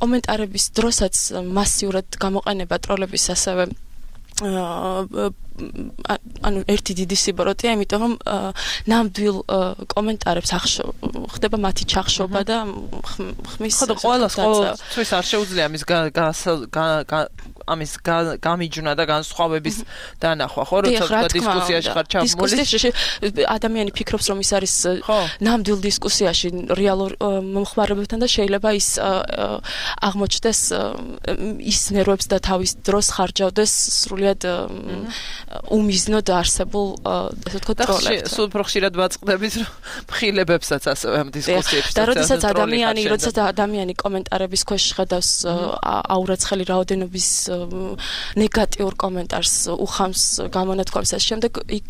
კომენტარების დროსაც მასიურად გამოყენება ტროლების ასევე ანუ ერთი დიდი სიბოროტეა, იმიტომ რომ ნამდვილ კომენტარებს ხდება მათი ჩახშობა და ხმის ხო და ყველას ყოველთვის არ შეუძლია ამის ამის გამიჯვნა და განსხვავების დანახვა, ხო, როცა დისკუსიაში ხარ ჩაბმული. დისკუსიაში ადამიანი ფიქრობს, რომ ის არის ნამდვილ დისკუსიაში რეალურ მომხმარებლებთან და შეიძლება ის აღმოჩნდეს ის ნერვებს და თავის დროს ხარჯავდეს სრულიად უმიზნოდ არსებულ, ასე ვთქვათ, ტროლებთან. სულ უფრო ხშირად ვაწყდებით, რომ მხილებებსაც ასევე ამ დისკუსიებში. და როდესაც ადამიანი, როდესაც ადამიანი კომენტარების ქვეშ ხედავს აურაცხელი რაოდენობის ნეგატიურ კომენტარს უხამს გამონათქვამს, ამ შემდეგ იქ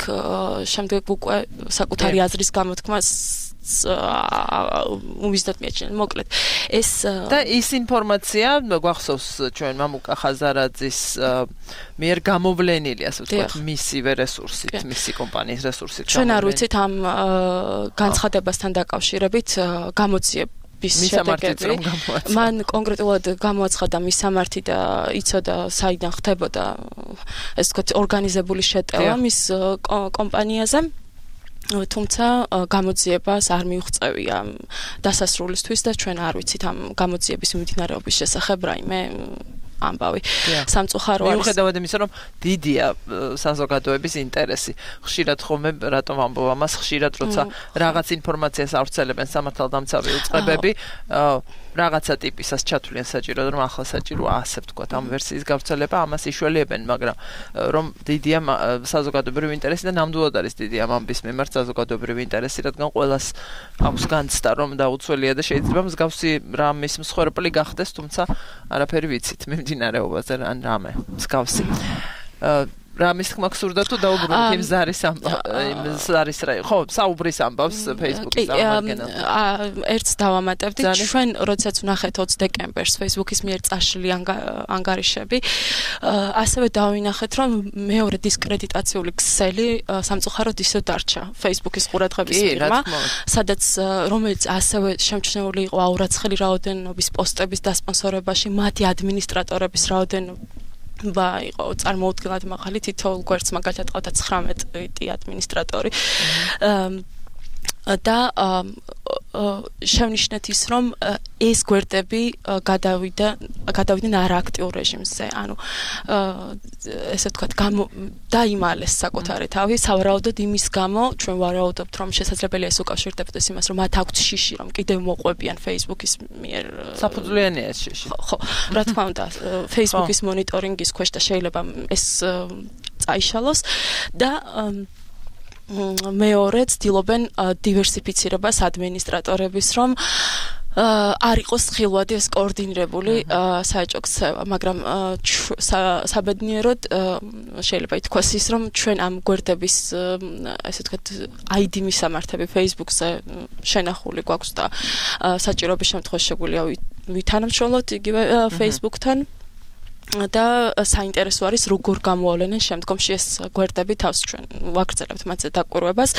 შემდეგ უკვე საკუთარი აზრის გამოთქმას უმიზნოდ მიაჩნია მოკლედ ეს და ის ინფორმაცია გვახსოვს ჩვენ მამუკა ხაზარაძის მიერ გამოვლენილი ასე ვთქვათ მისივე რესურსით მისი კომპანიის რესურსით ჩვენ არ ვიცით ამ განცხადებასთან დაკავშირებით გამოძიება მისამართი მან კონკრეტულად გამოაცხადა მისამართი და იცოდა საიდან ხდებოდა ეს ვთქვათ ორგანიზებული შეტევა მის კომპანიაზე თუმცა გამოძიებას არ მიუღწევია დასასრულისთვის და ჩვენ არ ვიცით ამ გამოძიების მიმდინარეობის შესახებ რაიმე ამბავი სამწუხარო არის მიუხედავად იმისა რომ დიდია საზოგადოების ინტერესი ხშირად ხომ რატომ ამბობ ამას ხშირად როცა რაღაც ინფორმაციას ავრცელებენ სამართალდამცავი უწყებები რაღაცა ტიპისას ჩათვლიან საჭირო რომ ახლა საჭირო ასე ვთქვათ ამ ვერსიის გავრცელება ამას იშველიებენ მაგრამ რომ დიდია საზოგადოებრივი ინტერესი და ნამდვილად არის დიდი ამ ამბის მიმართ საზოგადოებრივი ინტერესი რადგან ყველას აქვს განცდა რომ დაუცველია და შეიძლება მსგავსი რამის მსხვერპლი გახდეს თუმცა არაფერი ვიცით მიმდინარეობაზე ან რამე მსგავსი რამის თქმა გსურდა თუ დაუბრუნდით იმ ზარის ამ ზარის რა ხო საუბრის ამბავს Facebook-ის წარმომადგენელთან ერთს დავამატებდით ჩვენ როდესაც ვნახეთ ოცი დეკემბერს Facebook-ის მიერ წაშლილი ანგარიშები ასევე დავინახეთ რომ მეორე დისკრედიტაციული ქსელი სამწუხაროდ ისე დარჩა Facebook-ის ყურადღების ფირმა სადაც რომელიც ასევე შემჩნეული იყო აურაცხელი რაოდენობის პოსტების დასპონსორებაში მათი ადმინისტრატორების რაოდენობა ба იყო წარმოუდგენლად მაღალი თითოეულ გვერდს მაგალითად ყავდა ცხრამეტი ადმინისტრატორი და შევნიშნეთ ის რომ ეს გვერდები გადავიდა გადავიდნენ არააქტიურ რეჟიმზე ანუ ესე ვთქვათ დაიმალეს საკუთარი თავი სავარაუდოდ იმის გამო ჩვენ ვარაუდობთ რომ შესაძლებელია ეს უკავშირდებოდეს იმას რომ მათ აქვთ შიში რომ კიდევ მოყვებიან Facebook-ის მიერ საფუძვლიანია ეს შიში ხო რა თქმა უნდა Facebook-ის მონიტორინგის ქვეშ და შეიძლება ეს წაიშალოს და მეორე ცდილობენ დივერსიფიცირებას ადმინისტრატორების რომ არ იყოს ხილვადი ეს კოორდინირებული საეჭვო ქცევა მაგრამ საბედნიეროდ შეიძლება ითქვას ის რომ ჩვენ ამ გვერდების ესე ვთქვათ აი დი მისამართები Facebook-ზე შენახული გვაქვს და საჭიროების შემთხვევაში შეგვიძლია ვითანამშრომლოთ იგივე Facebook-თან და საინტერესო არის როგორ გამოავლენენ შემდგომში ეს გვერდები თავს ჩვენ ვაგრძელებთ მათზე დაკვირვებას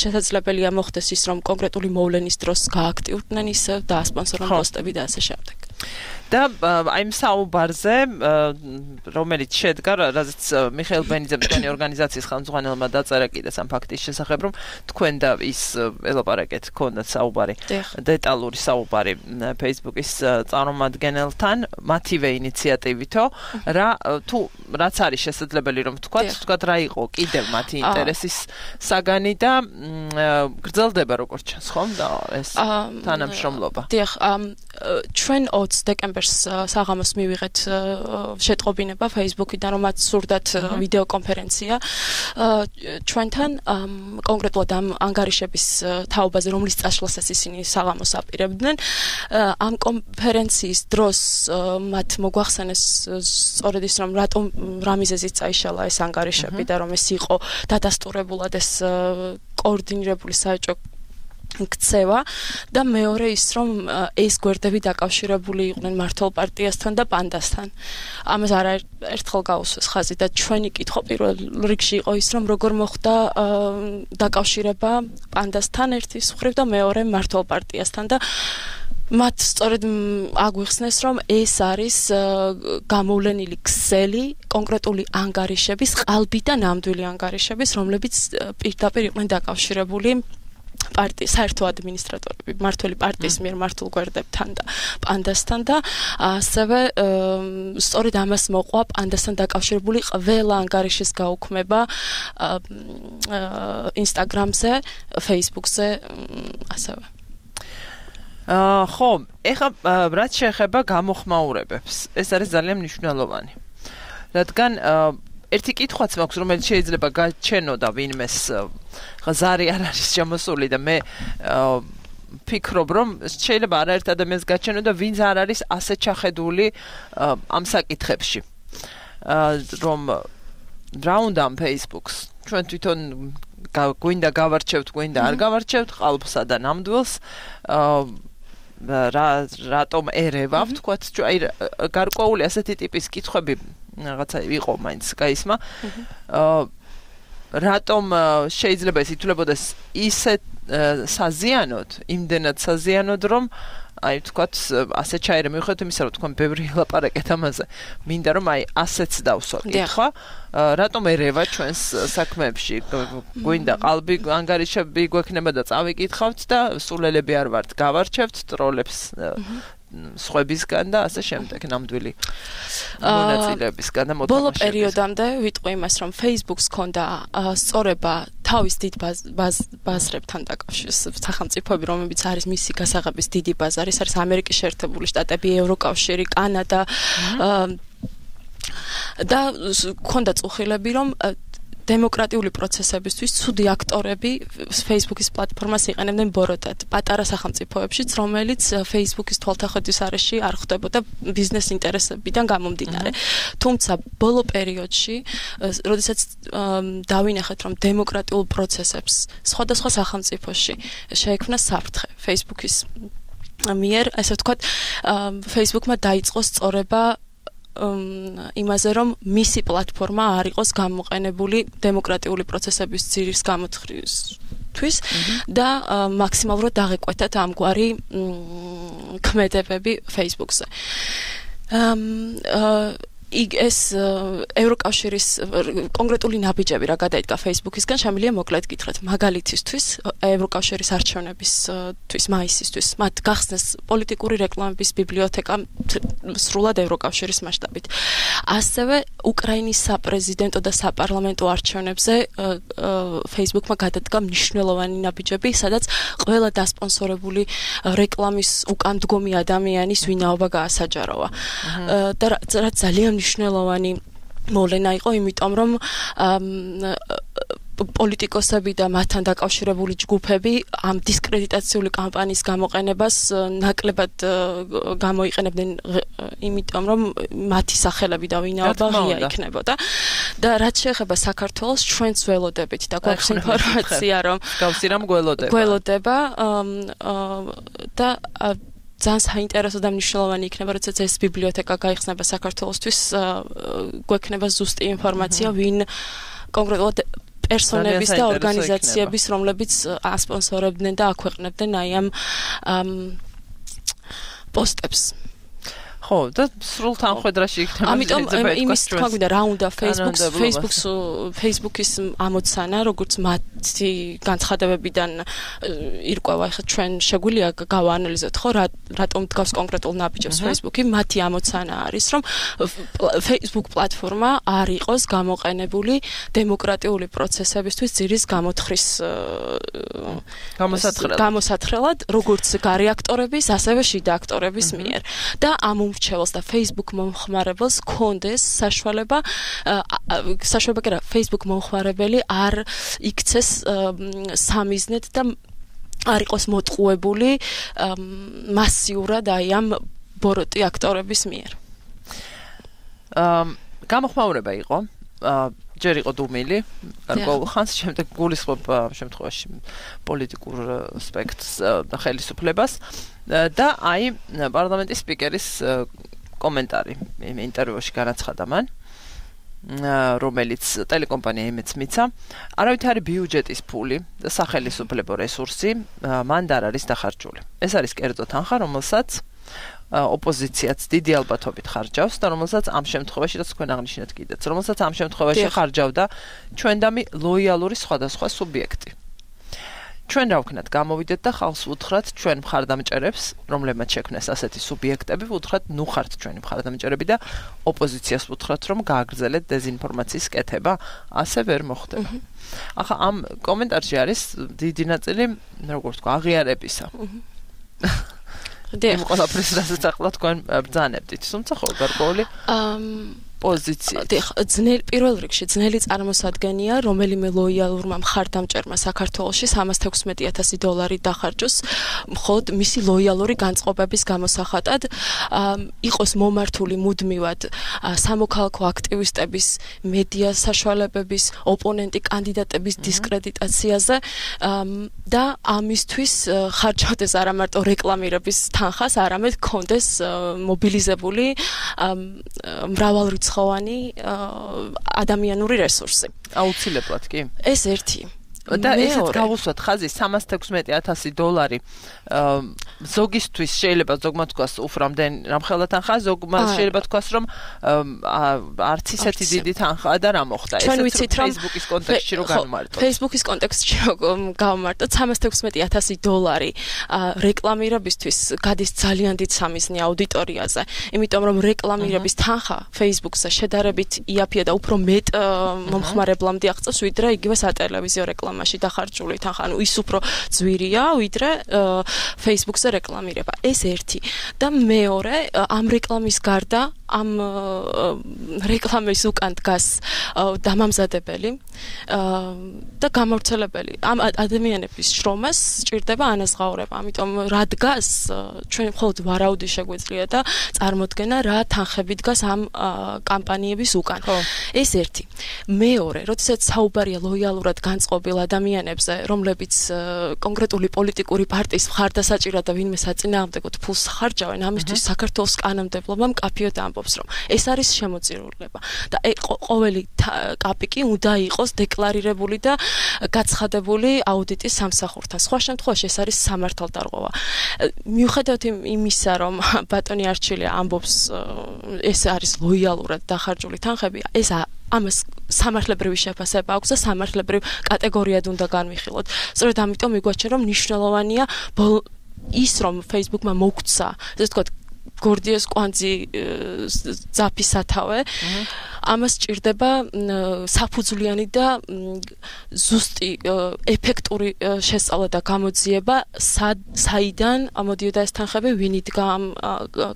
შესაძლებელია მოხდეს ის რომ კონკრეტული მოვლენის დროს გააქტიურდნენ ისევ და ასპონსორონ პოსტები და ასე შემდეგ და აი ამ საუბარზე რომელიც შედგა რაზეც მიხეილ ბენიძემ თქვენი ორგანიზაციის ხელმძღვანელმა დაწერა კიდეც ამ ფაქტის შესახებ რომ თქვენ და ის ელაპარაკეთ ქონდათ საუბარი დეტალური საუბარი Facebook-ის წარმომადგენელთან მათივე ინიციატივითო რა თუ რაც არის შესაძლებელი რომ ვთქვათ ვთქვათ რა იყო კიდევ მათი ინტერესის საგანი და გრძელდება როგორც ჩანს ხომ და ეს თანამშრომლობა დიახ ჩვენ ოცი დეკემბერს საღამოს მივიღეთ შეტყობინება Facebook-იდან რომ მათ სურდათ ვიდეო კონფერენცია ჩვენთან კონკრეტულად ამ ანგარიშების თაობაზე რომლის წაშლასაც ისინი საღამოს აპირებდნენ ამ კონფერენციის დროს მათ მოგვახსენეს სწორედ ის რომ რატომ რა მიზეზით წაიშალა ეს ანგარიშები და რომ ეს იყო დადასტურებულად ეს კოორდინირებული საეჭვო ქცევა და მეორე ის რომ ეს გვერდები დაკავშირებული იყვნენ მართლ პარტიასთან და პანდასთან. ამას არაერთხელ გაუსვეს ხაზი და ჩვენი კითხვა პირველ რიგში იყო ის რომ როგორ მოხდა დაკავშირება პანდასთან ერთის მხრივ და მეორე მართლ პარტიასთან და მათ სწორედ აგვიხსნეს რომ ეს არის გამოვლენილი ქსელი კონკრეტული ანგარიშების ყალბი და ნამდვილი ანგარიშების რომლებიც პირდაპირ იყვნენ დაკავშირებული პარტიის საერთო ადმინისტრატორები მართველი პარტიის მიერ მართულ გვერდებთან და პანდასთან და ასევე სწორედ ამას მოყვა პანდასთან დაკავშირებული ყველა ანგარიშის გაუქმება Instagram-ზე, Facebook-ზე ასევე აა ხო, ეხლა რაც შეეხება გამოხმაურებებს, ეს არის ძალიან მნიშვნელოვანი. რადგან ერთი კითხვაც მაქვს, რომელიც შეიძლება გაჩენო და ვინმეს ზარი არ არის შემოსული და მე ფიქრობ, რომ შეიძლება არაერთ ადამიანს გაჩენო და ვინც არ არის ასე ჩახედული ამ საკითხებში. რომ რა უნდა ამ Facebook-ს ჩვენ თვითონ გვინდა გავარჩევთ, გვინდა არ გავარჩევთ ყალბსა და ნამდვილს რა რატომ ერევავთ, თქვათ, აი გარკვეული ასეთი ტიპის კითხვები რაღაცა იყო მაინც გაისმა. რატომ შეიძლება ეს ითვლებოდეს ისე საზიანოდ, იმდენად საზიანოდ, რომ აი თქვათ ასე ჩაერე მივხვდეთ იმისა, რომ თქვენ ბევრი ლაპარაკეთ ამაზე. მინდა რომ აი ასეც დავსვა კითხვა, რატომ ერევა ჩვენს საქმეებში? გვინდა ყალბი ანგარიშები გვექნება და წავიკითხავთ და სულელები არ ვართ, გავარჩევთ ტროლებს სხვებისგან და ასე შემდეგ ნამდვილი მონაწილეებისგან და მოთამაშეებისგან. ბოლო პერიოდამდე ვიტყვი იმას, რომ Facebook-ს ჰქონდა სწორება თავის დიდ ბაზრებთან დაკავშირებით, სახელმწიფოები, რომლებიც არის მისი გასაღების დიდი ბაზარი, არის ამერიკის შეერთებული შტატები, ევროკავშირი, კანადა და ჰქონდა წუხილები, რომ დემოკრატიული პროცესებისთვის ცუდი აქტორები Facebook-ის პლატფორმას იყენებდნენ ბოროტად პატარა სახელმწიფოებშიც, რომელიც Facebook-ის თვალთახედვის არეში არ ხვდებოდა ბიზნეს ინტერესებიდან გამომდინარე. თუმცა ბოლო პერიოდში, როდესაც დავინახეთ, რომ დემოკრატიულ პროცესებს სხვადასხვა სახელმწიფოში შეექმნა საფრთხე Facebook-ის მიერ, ასე ვთქვათ, Facebook-მა დაიწყო სწორება იმაზე, რომ მისი პლატფორმა არ იყოს გამოყენებული დემოკრატიული პროცესების ძირის გამოთხრისთვის და მაქსიმალურად დაღეკვეთათ ამგვარი ქმედებები Facebook-ზე. იქ ეს ევროკავშირის კონკრეტული ნაბიჯები რა გადაიდგა Facebook-ისგან, შემიძლია მოკლედ გითხრათ. მაგალითისთვის, ევროკავშირის არჩევნებისთვის, მაისისთვის, მათ გახსნეს პოლიტიკური რეკლამების ბიბლიოთეკა სრულად ევროკავშირის მასშტაბით. ასევე უკრაინის საპრეზიდენტო და საპარლამენტო არჩევნებზე Facebook-მა გადადგა მნიშვნელოვანი ნაბიჯები, სადაც ყველა დასპონსორებული რეკლამის უკან დგომი ადამიანის ვინაობა გაასაჯაროვა. და რაც ძალიან მნიშვნელოვანი მოვლენა იყო, იმიტომ რომ პოლიტიკოსები და მათთან დაკავშირებული ჯგუფები ამ დისკრედიტაციული კამპანიის გამოყენებას ნაკლებად გამოიყენებდნენ, იმიტომ რომ მათი სახელები და ვინაობა ღია იქნებოდა. და რაც შეეხება საქართველოს, ჩვენც ველოდებით და გვაქვს ინფორმაცია, რომ გავსი რამ გველოდება. გველოდება და ძალიან საინტერესო და მნიშვნელოვანი იქნება, როდესაც ეს ბიბლიოთეკა გაიხსნება საქართველოსთვის, გვექნება ზუსტი ინფორმაცია, ვინ კონკრეტულად პერსონების და ორგანიზაციების, რომლებიც ასპონსორებდნენ და აქვეყნებდნენ აი ამ პოსტებს. ხო, და სრულ თანხმედრაში იქნება. ამიტომ იმის თქვა გვინდა რა უნდა Facebook-ს, Facebook-ს, Facebook-ის ამოცანა, როგორც მათი განცხადებებიდან ირკვევა, ახლა ჩვენ შეგვიძლია გავაანალიზოთ, ხო, რატომ დგავს კონკრეტულ ნაბიჯებს Facebook-ი, მათი ამოცანა არის, რომ Facebook პლატფორმა არ იყოს გამოყენებული დემოკრატიული პროცესებისთვის ძირის გამოთხვრის გამოსათხრელად, როგორც გარე აქტორების, ასევე შიდა აქტორების მიერ. და ამ რჩეველს და Facebook მომხმარებელს კონდეს საშუალება საშუალება კი რა Facebook მომხმარებელი არ იქცეს სამიზნედ და არ იყოს მოტყუებული მასიურად აი ამ ბოროტი აქტორების მიერ. გამოხმაურება იყო ჯერ იყო დუმილი, გარკვეულ ხანს, შემდეგ გულისხმობ ამ შემთხვევაში პოლიტიკურ სპექტრს და ხელისუფლებას და აი პარლამენტის სპიკერის კომენტარი იმ ინტერვიუში განაცხადა მან, რომელიც ტელეკომპანია იმედს მიცა, არავითარი ბიუჯეტის ფული და სახელისუფლებო რესურსი მან არ არის დახარჯული. ეს არის კერძო თანხა, რომელსაც ოპოზიციაც დიდი ალბათობით ხარჯავს და რომელსაც ამ შემთხვევაში რაც თქვენ აღნიშნეთ კიდეც, რომელსაც ამ შემთხვევაში ხარჯავდა ჩვენდამი ლოიალური სხვადასხვა სუბიექტი. ჩვენ რა ვქნათ, გამოვიდეთ და ხალხს უთხრათ ჩვენ მხარდამჭერებს, რომლებმაც შექმნეს ასეთი სუბიექტები, უთხრათ ნუ ხართ ჩვენი მხარდამჭერები და ოპოზიციას უთხრათ, რომ გააგრძელეთ დეზინფორმაციის კეთება, ასე ვერ მოხდება. ახლა ამ კომენტარში არის დიდი ნაწილი, როგორ ვთქვა, აღიარებისა. იმ ყველაფრის რასაც ახლა თქვენ ბრძანებდით, თუმცა ხო გარკვეული პოზიცია. დიახ, ძნელი პირველ რიგში ძნელი წარმოსადგენია, რომელიმე ლოიალურმა მხარდამჭერმა საქართველოში სამას თექვსმეტი ათასი დოლარი დახარჯოს, მხოლოდ მისი ლოიალური განწყობების გამოსახატად, იყოს მომართული მუდმივად სამოქალაქო აქტივისტების, მედია საშუალებების, ოპონენტი კანდიდატების დისკრედიტაციაზე და ამისთვის ხარჯავდეს არა მარტო რეკლამირების თანხას, არამედ კონდეს მობილიზებული მრავალრიცხოვანი ადამიანური რესურსი. აუცილებლად კი. ეს ერთი. და ესეც გავუსვათ ხაზი სამას თექვსმეტი ათასი დოლარი ზოგისთვის შეიძლება ზოგმა თქვას უფრამდენ რამხელა თანხა, ზოგმა შეიძლება თქვას რომ არც ისეთი დიდი თანხაა და რა მოხდა. ესეც Facebook-ის კონტექსტში რო განმარტოთ. Facebook-ის კონტექსტში რო გავმარტოთ სამას თექვსმეტი ათასი დოლარი რეკლამირებისთვის გადის ძალიან დიდ სამიზნე აუდიტორიაზე, იმიტომ რომ რეკლამირების თანხა Facebook-ზე შედარებით იაფია და უფრო მეტ მომხმარებლამდე აღწევს, ვიდრე იგივე სატელევიზიო რეკლამა მაშინ დახარჯული თანხა, ანუ ის უფრო ძვირია, ვიდრე Facebook-ზე რეკლამირება. ეს ერთი. და მეორე, ამ რეკლამის გარდა, ამ რეკლამის უკან დგას დამამზადებელი და გამავრცელებელი. ამ ადამიანების შრომას სჭირდება ანაზღაურება. ამიტომ რა დგას, ჩვენ მხოლოდ ვარაუდი შეგვიძლია და წარმოდგენა რა თანხები დგას ამ კამპანიების უკან. ეს ერთი. მეორე, როდესაც საუბარია ლოიალურად განწყობილ ადამიანებზე, რომლებიც კონკრეტული პოლიტიკური პარტიის მხარდასაჭირად და ვინმე საწინააღმდეგოდ ფულს ხარჯავენ, ამისთვის საქართველოს კანონმდებლობა მკაფიოდ ამბობს, რომ ეს არის შემოწირულება და ყოველი კაპიკი უნდა იყოს დეკლარირებული და გაცხადებული აუდიტის სამსახურთან. სხვა შემთხვევაში ეს არის სამართალდარღვევა. მიუხედავად იმისა, რომ ბატონი არჩილია ამბობს, ეს არის ლოიალურად დახარჯული თანხები, ეს ამას სამართლებრივი შეფასება აქვს და სამართლებრივ კატეგორიად უნდა განვიხილოთ. სწორედ ამიტომ მიგვაჩნია, რომ მნიშვნელოვანია ის, რომ Facebook-მა მოგცა, ესე ვთქვათ, გორდიეს კვანძი ძაფის სათავე, ამას სჭირდება საფუძვლიანი და ზუსტი ეფექტური შესწავლა და გამოძიება, საიდან ამოდიოდა ეს თანხები, ვინ იდგა ამ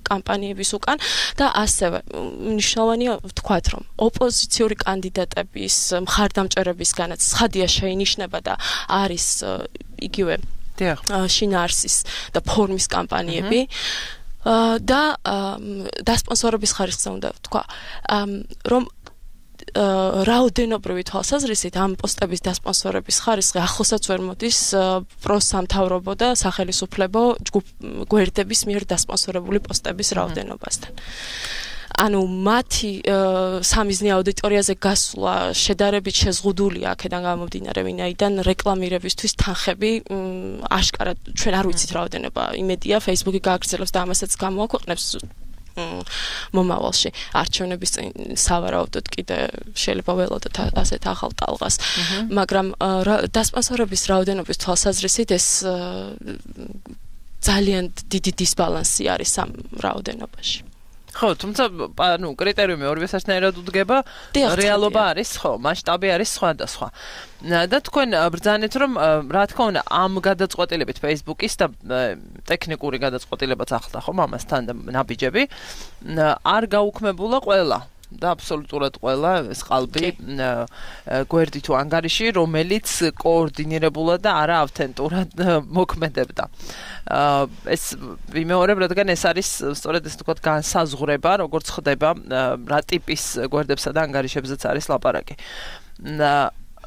კამპანიების უკან და ასევე მნიშვნელოვანია ვთქვათ, რომ ოპოზიციური კანდიდატების მხარდამჭერებისგანაც ცხადია შეინიშნება და არის იგივე შინაარსის და ფორმის კამპანიები. და დასპონსორების ხარისხზე უნდა ვთქვა, რომ რაოდენობრივი თვალსაზრისით ამ პოსტების დასპონსორების ხარისხი ახლოსაც ვერ მოდის პროსამთავრობო და სახელისუფლებო გვერდების მიერ დასპონსორებული პოსტების რაოდენობასთან. ანუ მათი სამიზნე აუდიტორიაზე გასვლა შედარებით შეზღუდულია აქედან გამომდინარე, ვინაიდან რეკლამირებისთვის თანხები აშკარად ჩვენ არ ვიცით რაოდენობა, იმედია Facebook-ი გააგრძელებს და ამასაც გამოაქვეყნებს მომავალში. არჩევნების წინ სავარაუდოდ კიდე შეიძლება ველოდოთ ასეთ ახალ ტალღას, მაგრამ დასპონსორების რაოდენობის თვალსაზრისით ეს ძალიან დიდი დისბალანსი არის ამ რაოდენობაში. ხო, თუმცა, ანუ კრიტერიუმი ორივე საერთოდ უდგება, რეალობა არის ხო, მასშტაბი არის სხვადასხვა. და თქვენ ბრძანეთ, რომ რა თქმა უნდა, ამ გადაწყვეტილებით Facebook-ის და ტექნიკური გადაწყვეტილებაც ახლდა ხომ ამასთან და ნაბიჯები არ გაუქმებულა ყველა და აბსოლუტურად ყველა ეს ყალბი გვერდი თუ ანგარიში, რომელიც კოორდინირებულად და არა ავთენტურად მოქმედებდა. ეს ვიმეორებ, რადგან ეს არის სწორედ ეს თქვა განსაზღვრება, როგორც ხდება რა ტიპის გვერდებსა და ანგარიშებზეც არის ლაპარაკი.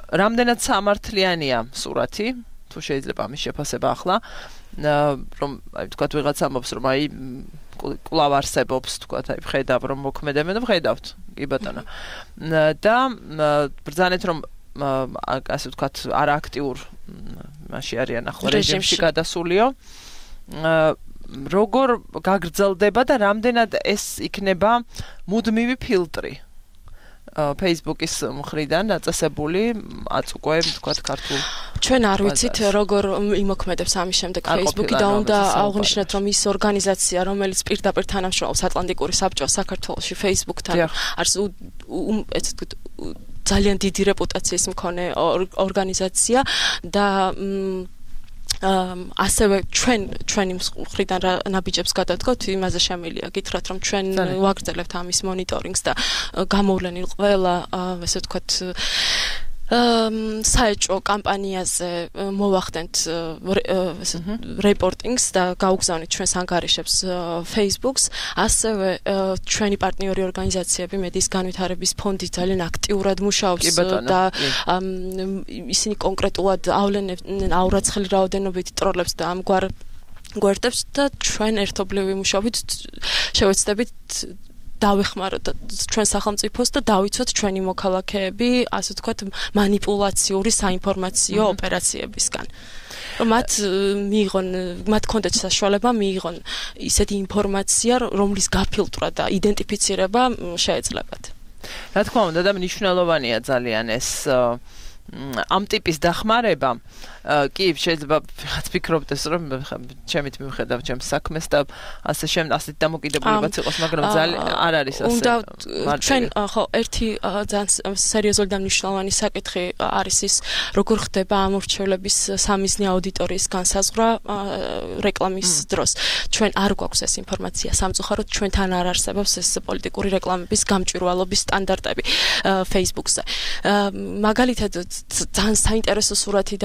რამდენად სამართლიანია სურათი, თუ შეიძლება ამის შეფასება ახლა, რომ აი თქვა ვიღაცა ამბობს, რომ აი კვლავ არსებობს, თქვა აი ვხედავ, რომ მოქმედებენ და ვხედავთ, კი ბატონო. და ბრძანეთ, რომ ასე ვთქვათ, არააქტიურ მასში არიან ახლა რეჟიმში გადასულიო. როგორ გაგრძელდება და რამდენად ეს იქნება მუდმივი ფილტრი Facebook-ის მხრიდან დაწესებული აწ უკვე ვთქვათ ქართულ ჩვენ არ ვიცით როგორ იმოქმედებს ამის შემდეგ Facebook-ი და უნდა აღვნიშნოთ რომ ის ორგანიზაცია რომელიც პირდაპირ თანამშრომლობს ატლანტიკური საბჭოს საქართველოში Facebook-თან არის ეს ძალიან დიდი რეპუტაციის მქონე ორგანიზაცია და ასევე ჩვენ ჩვენი მხრიდან რა ნაბიჯებს გადადგოთ, იმაზე შემიძლია გითხრათ, რომ ჩვენ ვაგრძელებთ ამის მონიტორინგს და გამოვლენილ ყველა, ესე ვთქვათ, საეჭვო კამპანიაზე მოვახდენთ რეპორტინგს და გავგზავნით ჩვენს ანგარიშებს Facebook-ს, ასევე ჩვენი პარტნიორი ორგანიზაციები მედიის განვითარების ფონდი ძალიან აქტიურად მუშაობს და ისინი კონკრეტულად ავლენენ აურაცხელი რაოდენობით ტროლებს და ამგვარ გვერდებს და ჩვენ ერთობლივი მუშაობით შევეცდებით დავეხმაროთ ჩვენ სახელმწიფოს და დავიცვათ ჩვენი მოქალაქეები, ასე ვთქვათ, მანიპულაციური საინფორმაციო ოპერაციებისგან. რომ მათ მიიღონ, მათ კონდეთ საშუალება მიიღონ ისეთი ინფორმაცია, რომლის გაფილტრა და იდენტიფიცირება შეეძლებათ. რა თქმა უნდა, და მნიშვნელოვანია ძალიან ეს ამ ტიპის დახმარება. კი, შეიძლება ვიღაც ფიქრობდეს, რომ ჩემით მივხედავ ჩემს საქმეს და ასე შემ ასე დამოკიდებულებაც იყოს, მაგრამ ძალიან არ არის ასე. უნდა ჩვენ ხო ერთი ძალიან სერიოზული და მნიშვნელოვანი საკითხი არის ის, როგორ ხდება ამორჩევლების სამიზნე აუდიტორიის განსაზღვრა რეკლამის დროს. ჩვენ არ გვაქვს ეს ინფორმაცია სამწუხაროდ, ჩვენთან არ არსებობს ეს პოლიტიკური რეკლამების გამჭვირვალობის სტანდარტები Facebook-ზე. მაგალითად ძალიან საინტერესო სურათი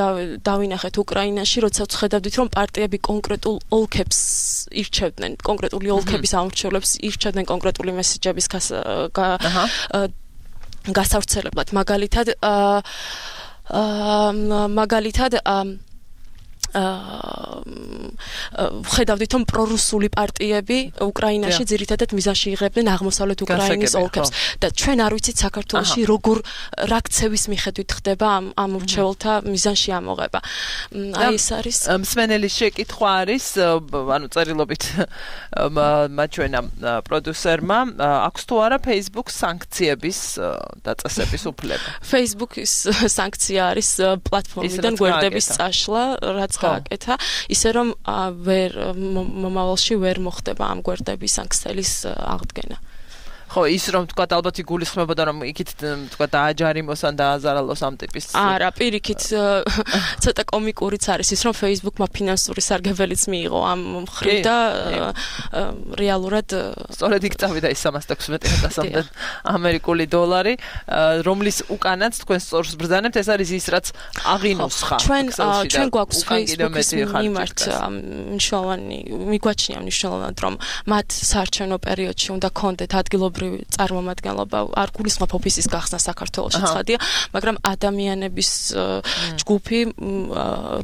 დავინახეთ უკრაინაში, როცა ვხედავდით, რომ პარტიები კონკრეტულ ოლქებს ირჩევდნენ, კონკრეტული ოლქების ამორჩევლებს ირჩევდნენ კონკრეტული მესეჯების გასავრცელებლად. მაგალითად, მაგალითად ვხედავდით, რომ პრორუსული პარტიები უკრაინაში ძირითადად მიზანში იღებდნენ აღმოსავლეთ უკრაინის ოლქებს და ჩვენ არ ვიცით საქართველოში როგორ რა ქცევის მიხედვით ხდება ამ ამორჩეულთა მიზანში ამოღება. აი ეს არის მსმენელის შეკითხვა არის, ანუ წერილობით მაჩვენა პროდიუსერმა, აქვს თუ არა Facebook სანქციების დაწესების უფლება. Facebook-ის სანქცია არის პლატფორმიდან გვერდების წაშლა, რაც გააკეთა, ისე რომ ვერ მომავალში ვერ მოხდება ამ გვერდების სანქციის აღდგენა. ხო, ის რომ თქვა ალბათ იგულისხმებოდა, რომ იქით თქვა დააჯარიმოს ან დააზარალოს ამ ტიპის. არა, პირიქით ცოტა კომიკურიც არის ის, რომ Facebook-მა ფინანსური სარგებელიც მიიღო ამ მხრივ და რეალურად სწორედ იქ წავიდა ის სამას ექვსმეტი ათასამდე ამერიკული დოლარი, რომლის უკანაც თქვენ სწორს ბრძანებთ, ეს არის ის, რაც აღინოსხა. ჩვენ ჩვენ გვაქვს Facebook-ის მიმართ მნიშვნელოვანი, მიგვაჩნია მნიშვნელოვნად, რომ მათ საარჩევნო პერიოდში უნდა კონდეთ ადგილობრივი წარმომადგენლობა, არ გულისხმობ ოფისის გახსნა საქართველოში ცხადია, მაგრამ ადამიანების ჯგუფი,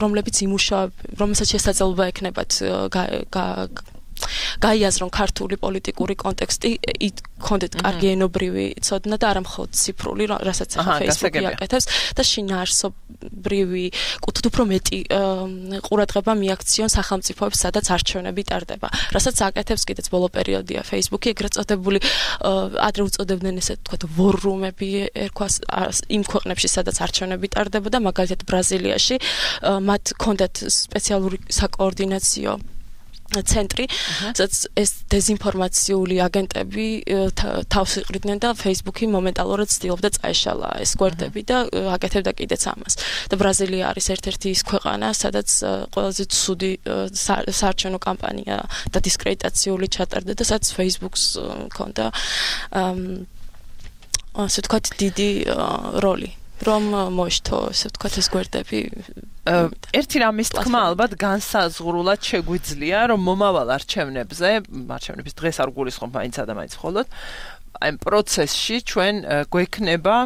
რომლებიც იმუშავებენ, რომელსაც შესაძლებლობა ექნებათ გაიაზრონ ქართული პოლიტიკური კონტექსტი, კონდეთ კარგი ენობრივი ცოდნა და არა მხოლოდ ციფრული, რასაც ახლა Facebook-ი აკეთებს და შინაარსობრივი კუთხით უფრო მეტი ყურადღება მიაქციონ სახელმწიფოებს, სადაც არჩევნები ტარდება. რასაც აკეთებს კიდეც ბოლო პერიოდია Facebook-ი, ეგრეთ წოდებული ადრე უწოდებდნენ ესე თქვათ ვორ-რუმები, ერქვას იმ ქვეყნებში, სადაც არჩევნები ტარდებოდა, მაგალითად ბრაზილიაში, მათ კონდეთ სპეციალური საკოორდინაციო ცენტრი, სადაც ეს დეზინფორმაციული აგენტები თავს იყრიდნენ და Facebook-ი მომენტალურად ცდილობდა წაეშალა ეს გვერდები და აკეთებდა კიდეც ამას. და ბრაზილია არის ერთ-ერთი ის ქვეყანა, სადაც ყველაზე ცუდი საარჩევნო კამპანია და დისკრედიტაციული ჩატარდა და სადაც Facebook-ს ჰქონდა ასე ვთქვათ დიდი როლი. რომ მოშთო, ასე ვთქვათ, ეს გვერდები. ერთი რამის თქმა ალბათ განსაზღვრულად შეგვიძლია, რომ მომავალ არჩევნებზე, არჩევნების დღეს არ გულისხმობ მაინც და მაინც მხოლოდ, აი პროცესში ჩვენ გვექნება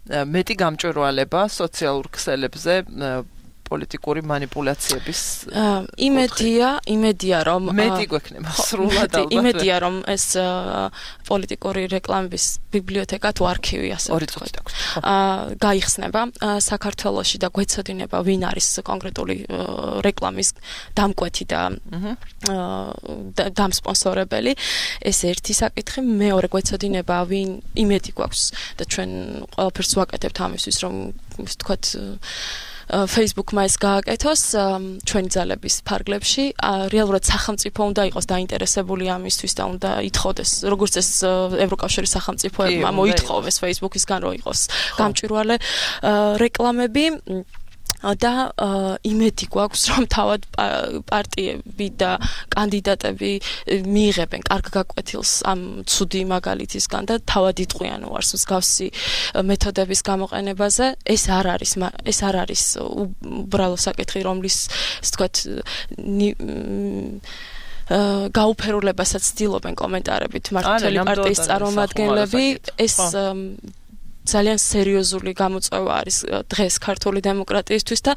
მეტი გამჭვირვალება სოციალურ ქსელებზე პოლიტიკური მანიპულაციების იმედია, იმედია რომ მეტი გვექნება სრულად ალბათ. იმედია რომ ეს პოლიტიკური რეკლამების ბიბლიოთეკა თუ არქივი ასე ვთქვათ, გაიხსნება საქართველოში და გვეცოდინება ვინ არის კონკრეტული რეკლამის დამკვეთი და დამსპონსორებელი. ეს ერთი საკითხი, მეორე გვეცოდინება ვინ იმედი გვაქვს და ჩვენ ყველაფერს ვაკეთებთ ამისთვის, რომ ასე ვთქვათ Facebook-მა ეს გააკეთოს ჩვენი ძალების ფარგლებში. რეალურად სახელმწიფო უნდა იყოს დაინტერესებული ამისთვის და უნდა ითხოვდეს, როგორც ეს ევროკავშირის სახელმწიფოებმა მოითხოვეს Facebook-ისგან, რომ იყოს გამჭვირვალე რეკლამები. და იმედი გვაქვს რომ თავად პარტიები და კანდიდატები მიიღებენ კარგ გაკვეთილს ამ ცუდი მაგალითისგან და თავად იტყვიან უარს მსგავსი მეთოდების გამოყენებაზე. ეს არ არის ეს არ არის უბრალო საკითხი, რომლის ასე ვთქვათ გაუფერულებასაც ცდილობენ კომენტარებით მართლმსაჯული პარტიის წარმომადგენლები. ეს ძალიან სერიოზული გამოწვევა არის დღეს ქართული დემოკრატიისთვის და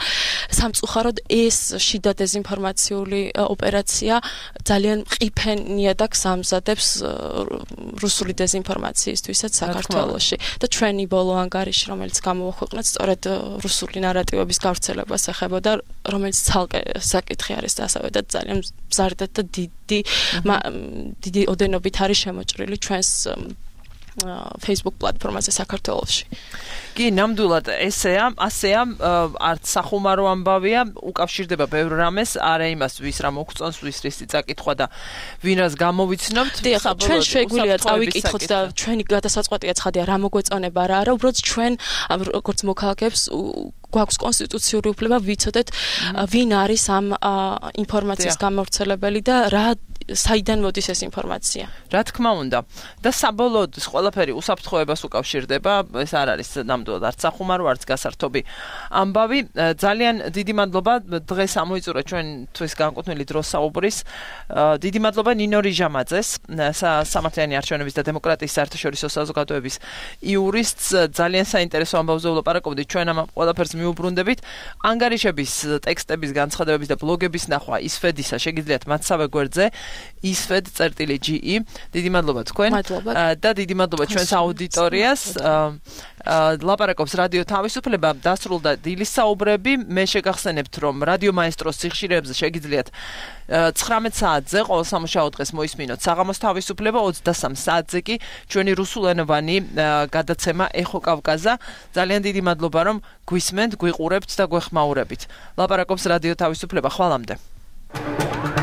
სამწუხაროდ ეს შიდა დეზინფორმაციული ოპერაცია ძალიან ყიფენია და გზამზადებს რუსული დეზინფორმაციისთვისაც საქართველოში და ჩვენი ბოლო ანგარიში, რომელიც გამოვაქვეყნეთ, სწორედ რუსული ნარატივების გავრცელებას ეხებოდა, რომელიც ცალკე საკითხი არის და ასევე და ძალიან მზარდად და დიდი დიდი ოდენობით არის შემოჭრილი ჩვენს Facebook პლატფორმაზე საქართველოში. კი, ნამდვილად ესეა, ასეა, არც სახუმარო ამბავია, უკავშირდება ბევრ რამეს, არა იმას, ვის რა მოგწონს, ვის რისი წაკითხვა და ვინ რას გამოვიცნობთ. ჩვენ შეგვიძლია წავიკითხოთ და ჩვენი გადასაწყვეტია ცხადია, რა მოგვეწონება, რა არა, უბრალოდ ჩვენ როგორც მოქალაქეებს გვაქვს კონსტიტუციური უფლება ვიცოდეთ, ვინ არის ამ ინფორმაციის გამავრცელებელი და რა საიდან მოდის ეს ინფორმაცია. რა თქმა უნდა. და საბოლოოდ ეს ყველაფერი უსაფრთხოებას უკავშირდება, ეს არ არის ნამდვილად არც სახუმარო, არც გასართობი ამბავი. ძალიან დიდი მადლობა დღეს ამოიწურა ჩვენთვის განკუთვნილი დრო საუბრის. დიდი მადლობა ნინო რიჟამაძეს, სამართლიანი არჩევნების და დემოკრატიის საერთაშორისო საზოგადოების იურისტს. ძალიან საინტერესო ამბავზე ვლაპარაკობდით, ჩვენ ამ ყველაფერს მიუბრუნდებით. ანგარიშების, ტექსტების, განცხადებების და ბლოგების ნახვა ისფედისა შეგიძლიათ მათსავე გვერდზე isfed წერტილი ge. დიდი მადლობა თქვენ და დიდი მადლობა ჩვენს აუდიტორიას. ლაპარაკობს რადიო თავისუფლება, დასრულდა დილის საუბრები. მე შეგახსენებთ, რომ რადიო მაესტროს სიხშირეებზე შეგიძლიათ ცხრამეტ საათზე ყოველ სამუშაო დღეს მოისმინოთ საღამოს თავისუფლება, ოცდასამ საათზე კი ჩვენი რუსულენოვანი გადაცემა ეხო კავკაზა. ძალიან დიდი მადლობა, რომ გვისმენთ, გვიყურებთ და გვეხმაურებით. ლაპარაკობს რადიო თავისუფლება. ხვალამდე. Ooh.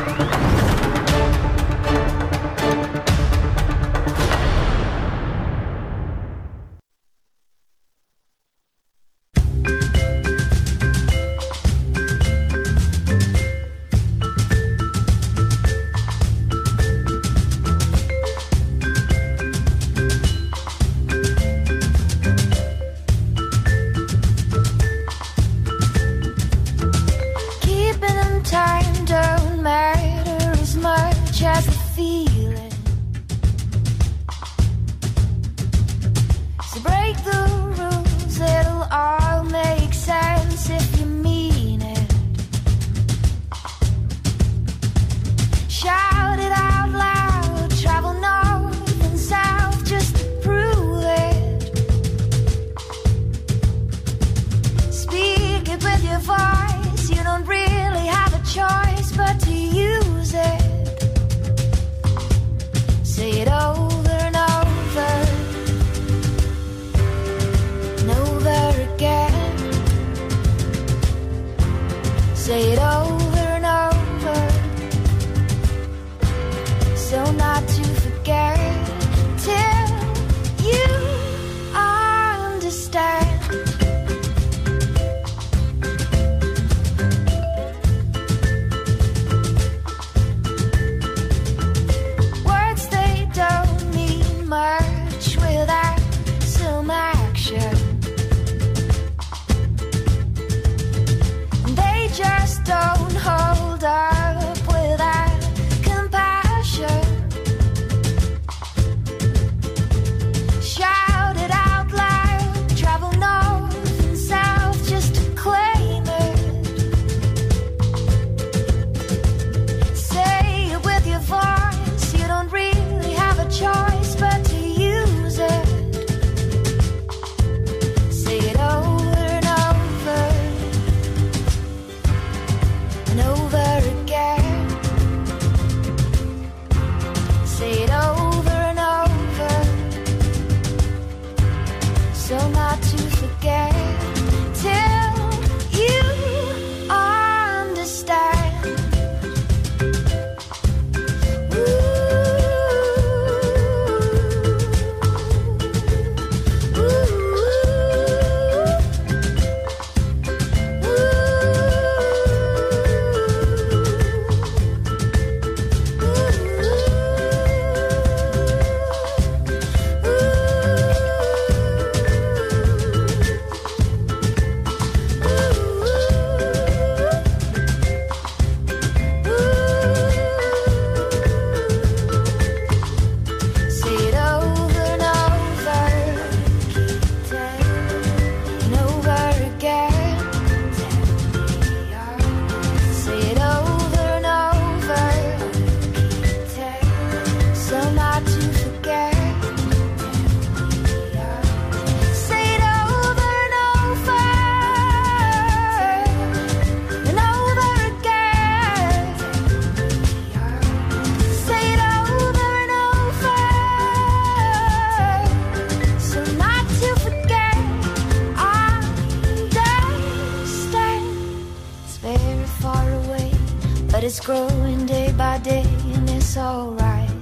but it's growing day by day, and it's alright.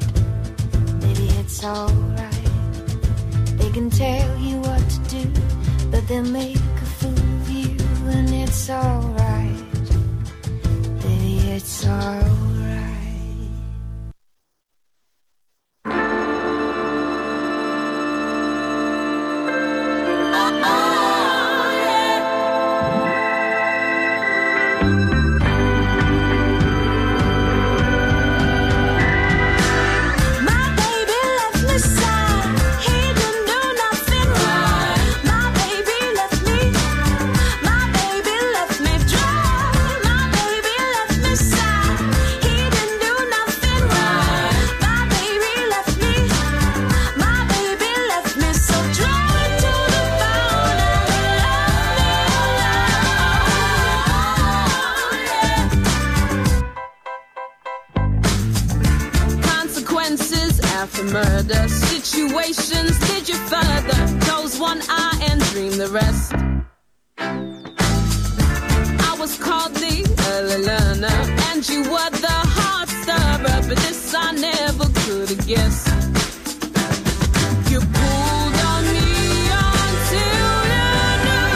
Baby, it's alright. They can tell you what to do, but they'll make a fool of you, and it's alright. Baby, it's alright. After murder situations, did you further close one eye and dream the rest? I was called the early learner, and you were the hard stirrer, but this I never could have guessed. You pulled on me until you knew.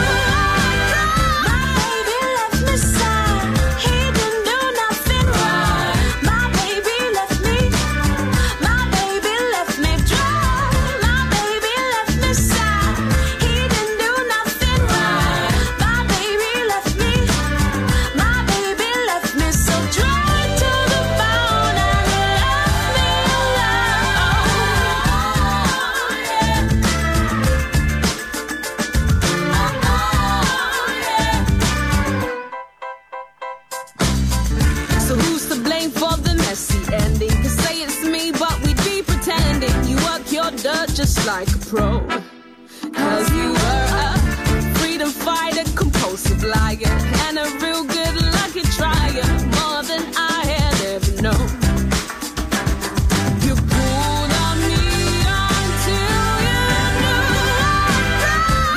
My baby left me sad, he didn't do nothing right. My baby left me. My baby left me dry. My baby left me sad, he didn't do nothing right. My baby left me. My baby left me so dry to the bone, and he left me So who's to blame for the messy ending? Could say it's me, but we'd be pretending. You work your dirt just like a pro, cause you were a freedom fighter, compulsive liar, and a real good lucky trier, more than I had ever known. You pulled on me until you knew.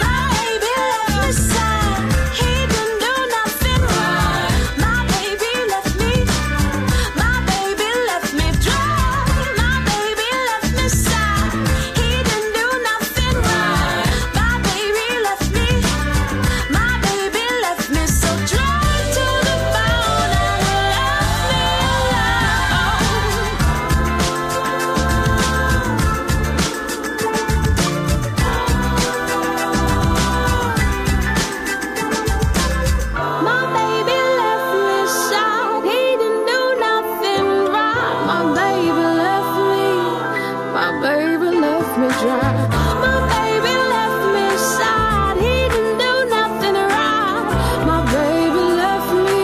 My baby left me sad, he didn't do nothing right. My baby left me. My baby left me dry. My baby left me sad, he didn't do nothing right. My baby left me. My baby left me so dry to the bone, and he left me My baby left me sad, he didn't do nothing right. My baby left me. My baby left me dry. My baby left me sad, he didn't do nothing right. My baby left me.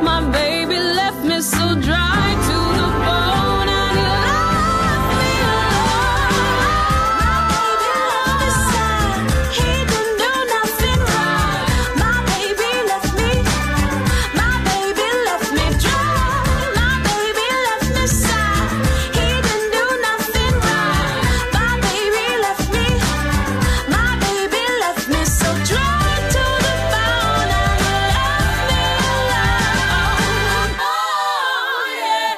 My baby left me so dry to the bone, and he left me alone. My baby left me sad, he didn't do nothing right. My baby left me. My baby left me dry. My baby left me sad, he didn't do nothing right. My baby left me. My baby left me so dry to the bone, and he left me alone. Oh, yeah.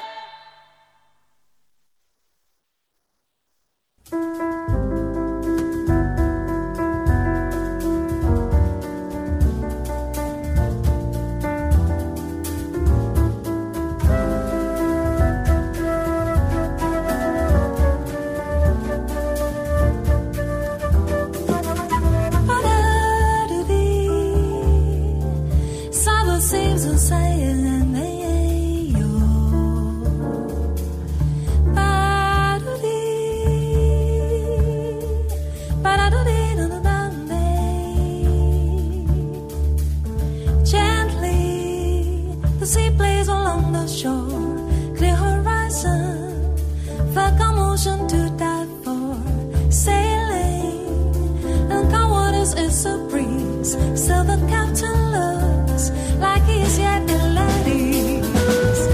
Summer seems to say yo. Gently, the sea plays along the shore, clear horizon, felt commotion to die for, sailing, and calm waters is a breeze, still the captain looks like he's yet in at ease.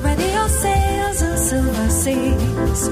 Ready your sails and silver seas,